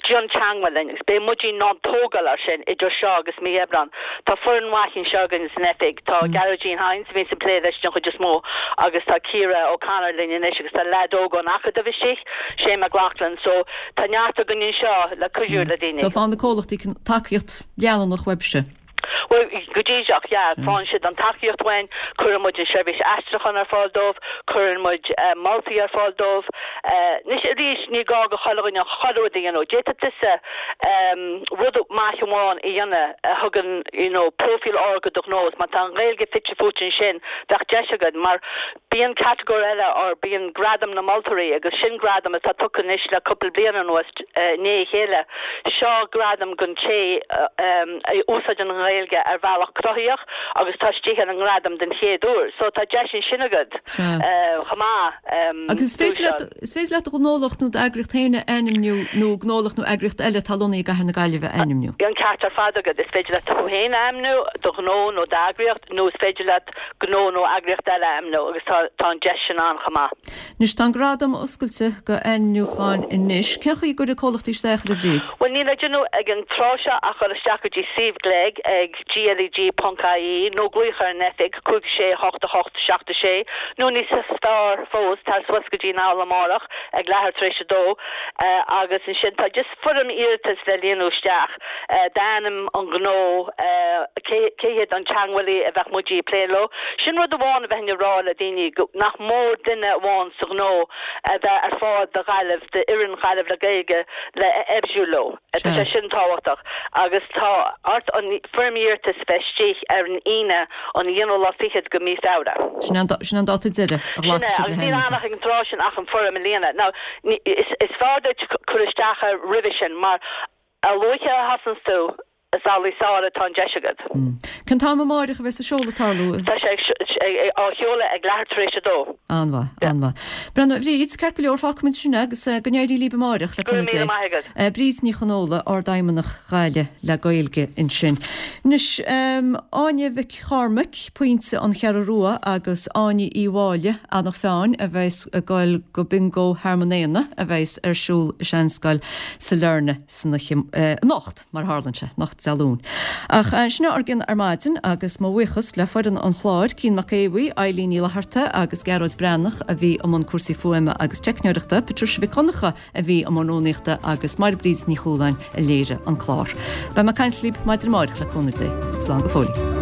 déan teagmháil linn agus beidh muid in ann tógáil air sin idir seo agus mí Aibreán. Tá foireann mhaith anseo againn san oifig, tá Gearóidín Hynes a bhíonns ag plé leis den chuid is mó agus tá Ciara O'Connor linn anois agus tá leaid óg ón Acadamh istigh, Shane McLaughlin, so tá neart againn anseo le cuidiú le daoine. So faigheann na comhlachtaí tacaíocht leanúnach uaibhse? Bhuel, go díreach, yeah. Faigheann siad an tacaíocht uainn, cuireann muid an seirbhís aistriúcháin ar fáil dóibh, cuireann muid moltaí ar fáil dóibh. Anois arís, ní gá go chuile dhuine chuile rud a dhéanamh. D'fhéadfadh tusa rud maith amháin a dhéanamh a thugann, you know, próifíl ard do do ghnó is má tá an Ghaeilge fite fuaite ansin, bheadh deis agat mar bíonn catagóir eile or bíonn Gradam na Moltóirí agus sin gradam atá tugtha anois le cúpla bliain anuas i ndiaidh a chéile. Seo gradam don té a úsáideann an Ghaeilge ar bhealach cruthaitheach agus tá istigh ar an ngradam den chéad uair. So tá deis ansin agat chomh maith. Agus is féidir leat, is féidir leat do ghnólacht nó d'eagraíocht féin a ainmniú nó gnólacht nó eagraíocht eile atá lonnaithe i gCathair na Gaillimhe a ainmniú. An ceart ar fad agat. Is féidir leat tú féin a ainmniú, do ghnó nó d'eagraíocht, nó is féidir leat gnó nó eagraíocht eile a ainmniú agus tá tá an deis sin ann chomh maith. Anois tá an gradam oscailte go ainmniúcháin anois. Cén chaoi a gcuirfidh comhlachtaí isteach air a Bhríd? Bhuel níl le déanamh ag an tráth seo ach dul isteach go dtí suíomh GLEG ag G L E G ponc I E nó glaoch ar an oifig cúig sé hocht a hocht seacht a sé nó níos fearr fós tar suas go dtí an halla amárach ag leathuair tar éis a dó agus ansin tá just foirm iarratais le líonadh isteach, d'ainm, an gnó, cé cé hiad an teagmhálaí a bheadh muid ag plé leo. Sin rud amháin a bheinn ag rá le daoine go nach mór duine amháin sa ghnó a bheith ar fáil do Ghaillimh, d'fhoireann Ghaillimh le Gaeilge le oibriú leo. Tá sé sin tábhachtach agus tá ort an foirm iarratais bheith istigh ar an Aoine an aonú lá fichead go mí Feabhra. Sin an dáta deiridh a Sin ghlacfaidh é, sibh le agus níl ann hainmniúchán. ach ag an tráth sin ach an foirm a líonadh. Now, is is fearr duit cur isteach air roimhe sin mar a luaithe a thosaíonns tú is amhlaidh is fearr atá an deis agat. Cén t-am amárach a bheas an seoladh ag tarlú? Tá sé á sheoladh ag leathuair tar éis a dó. An-mhaith, an-mhaith. Breandán, a Bhríd, ceart go leor, fágfaimid sin agus go n-éirí libh amárach le Go raibh cúnamh míle Dé. maith agat. Bríd Ní Chonóla, Ardfheidhmeannach Ghaillimh le Gaeilge ansin. Anois, Áine Mhic Chormaic, Pointe an Cheathrú Rua agus Áine Uí Mháille, Eanach Mheáin, a bheas ag goil go Bingo Thearmann Éanna a bheas ar siúl i Seanscoil Sailearna san oíche anocht, mar a tharlaíonn sé, anocht Dé Luain. Ach sin ár gcionn ar maidin agus mo bhuíochas le foireann an chláir, Cian Mac Aodha, Eilín Ní Fhlatharta agus Gearóid Breathnach a bhí i mbun cúrsaí fuaime agus teicneoireachta, Patricia Mhic Donncha a bhí i mbun rúnaíochta agus Máire Bríd Ní Chualáin a léirigh an clár. Beidh mé ag caint libh maidin amárach le cúnamh Dé. Slán go fóill.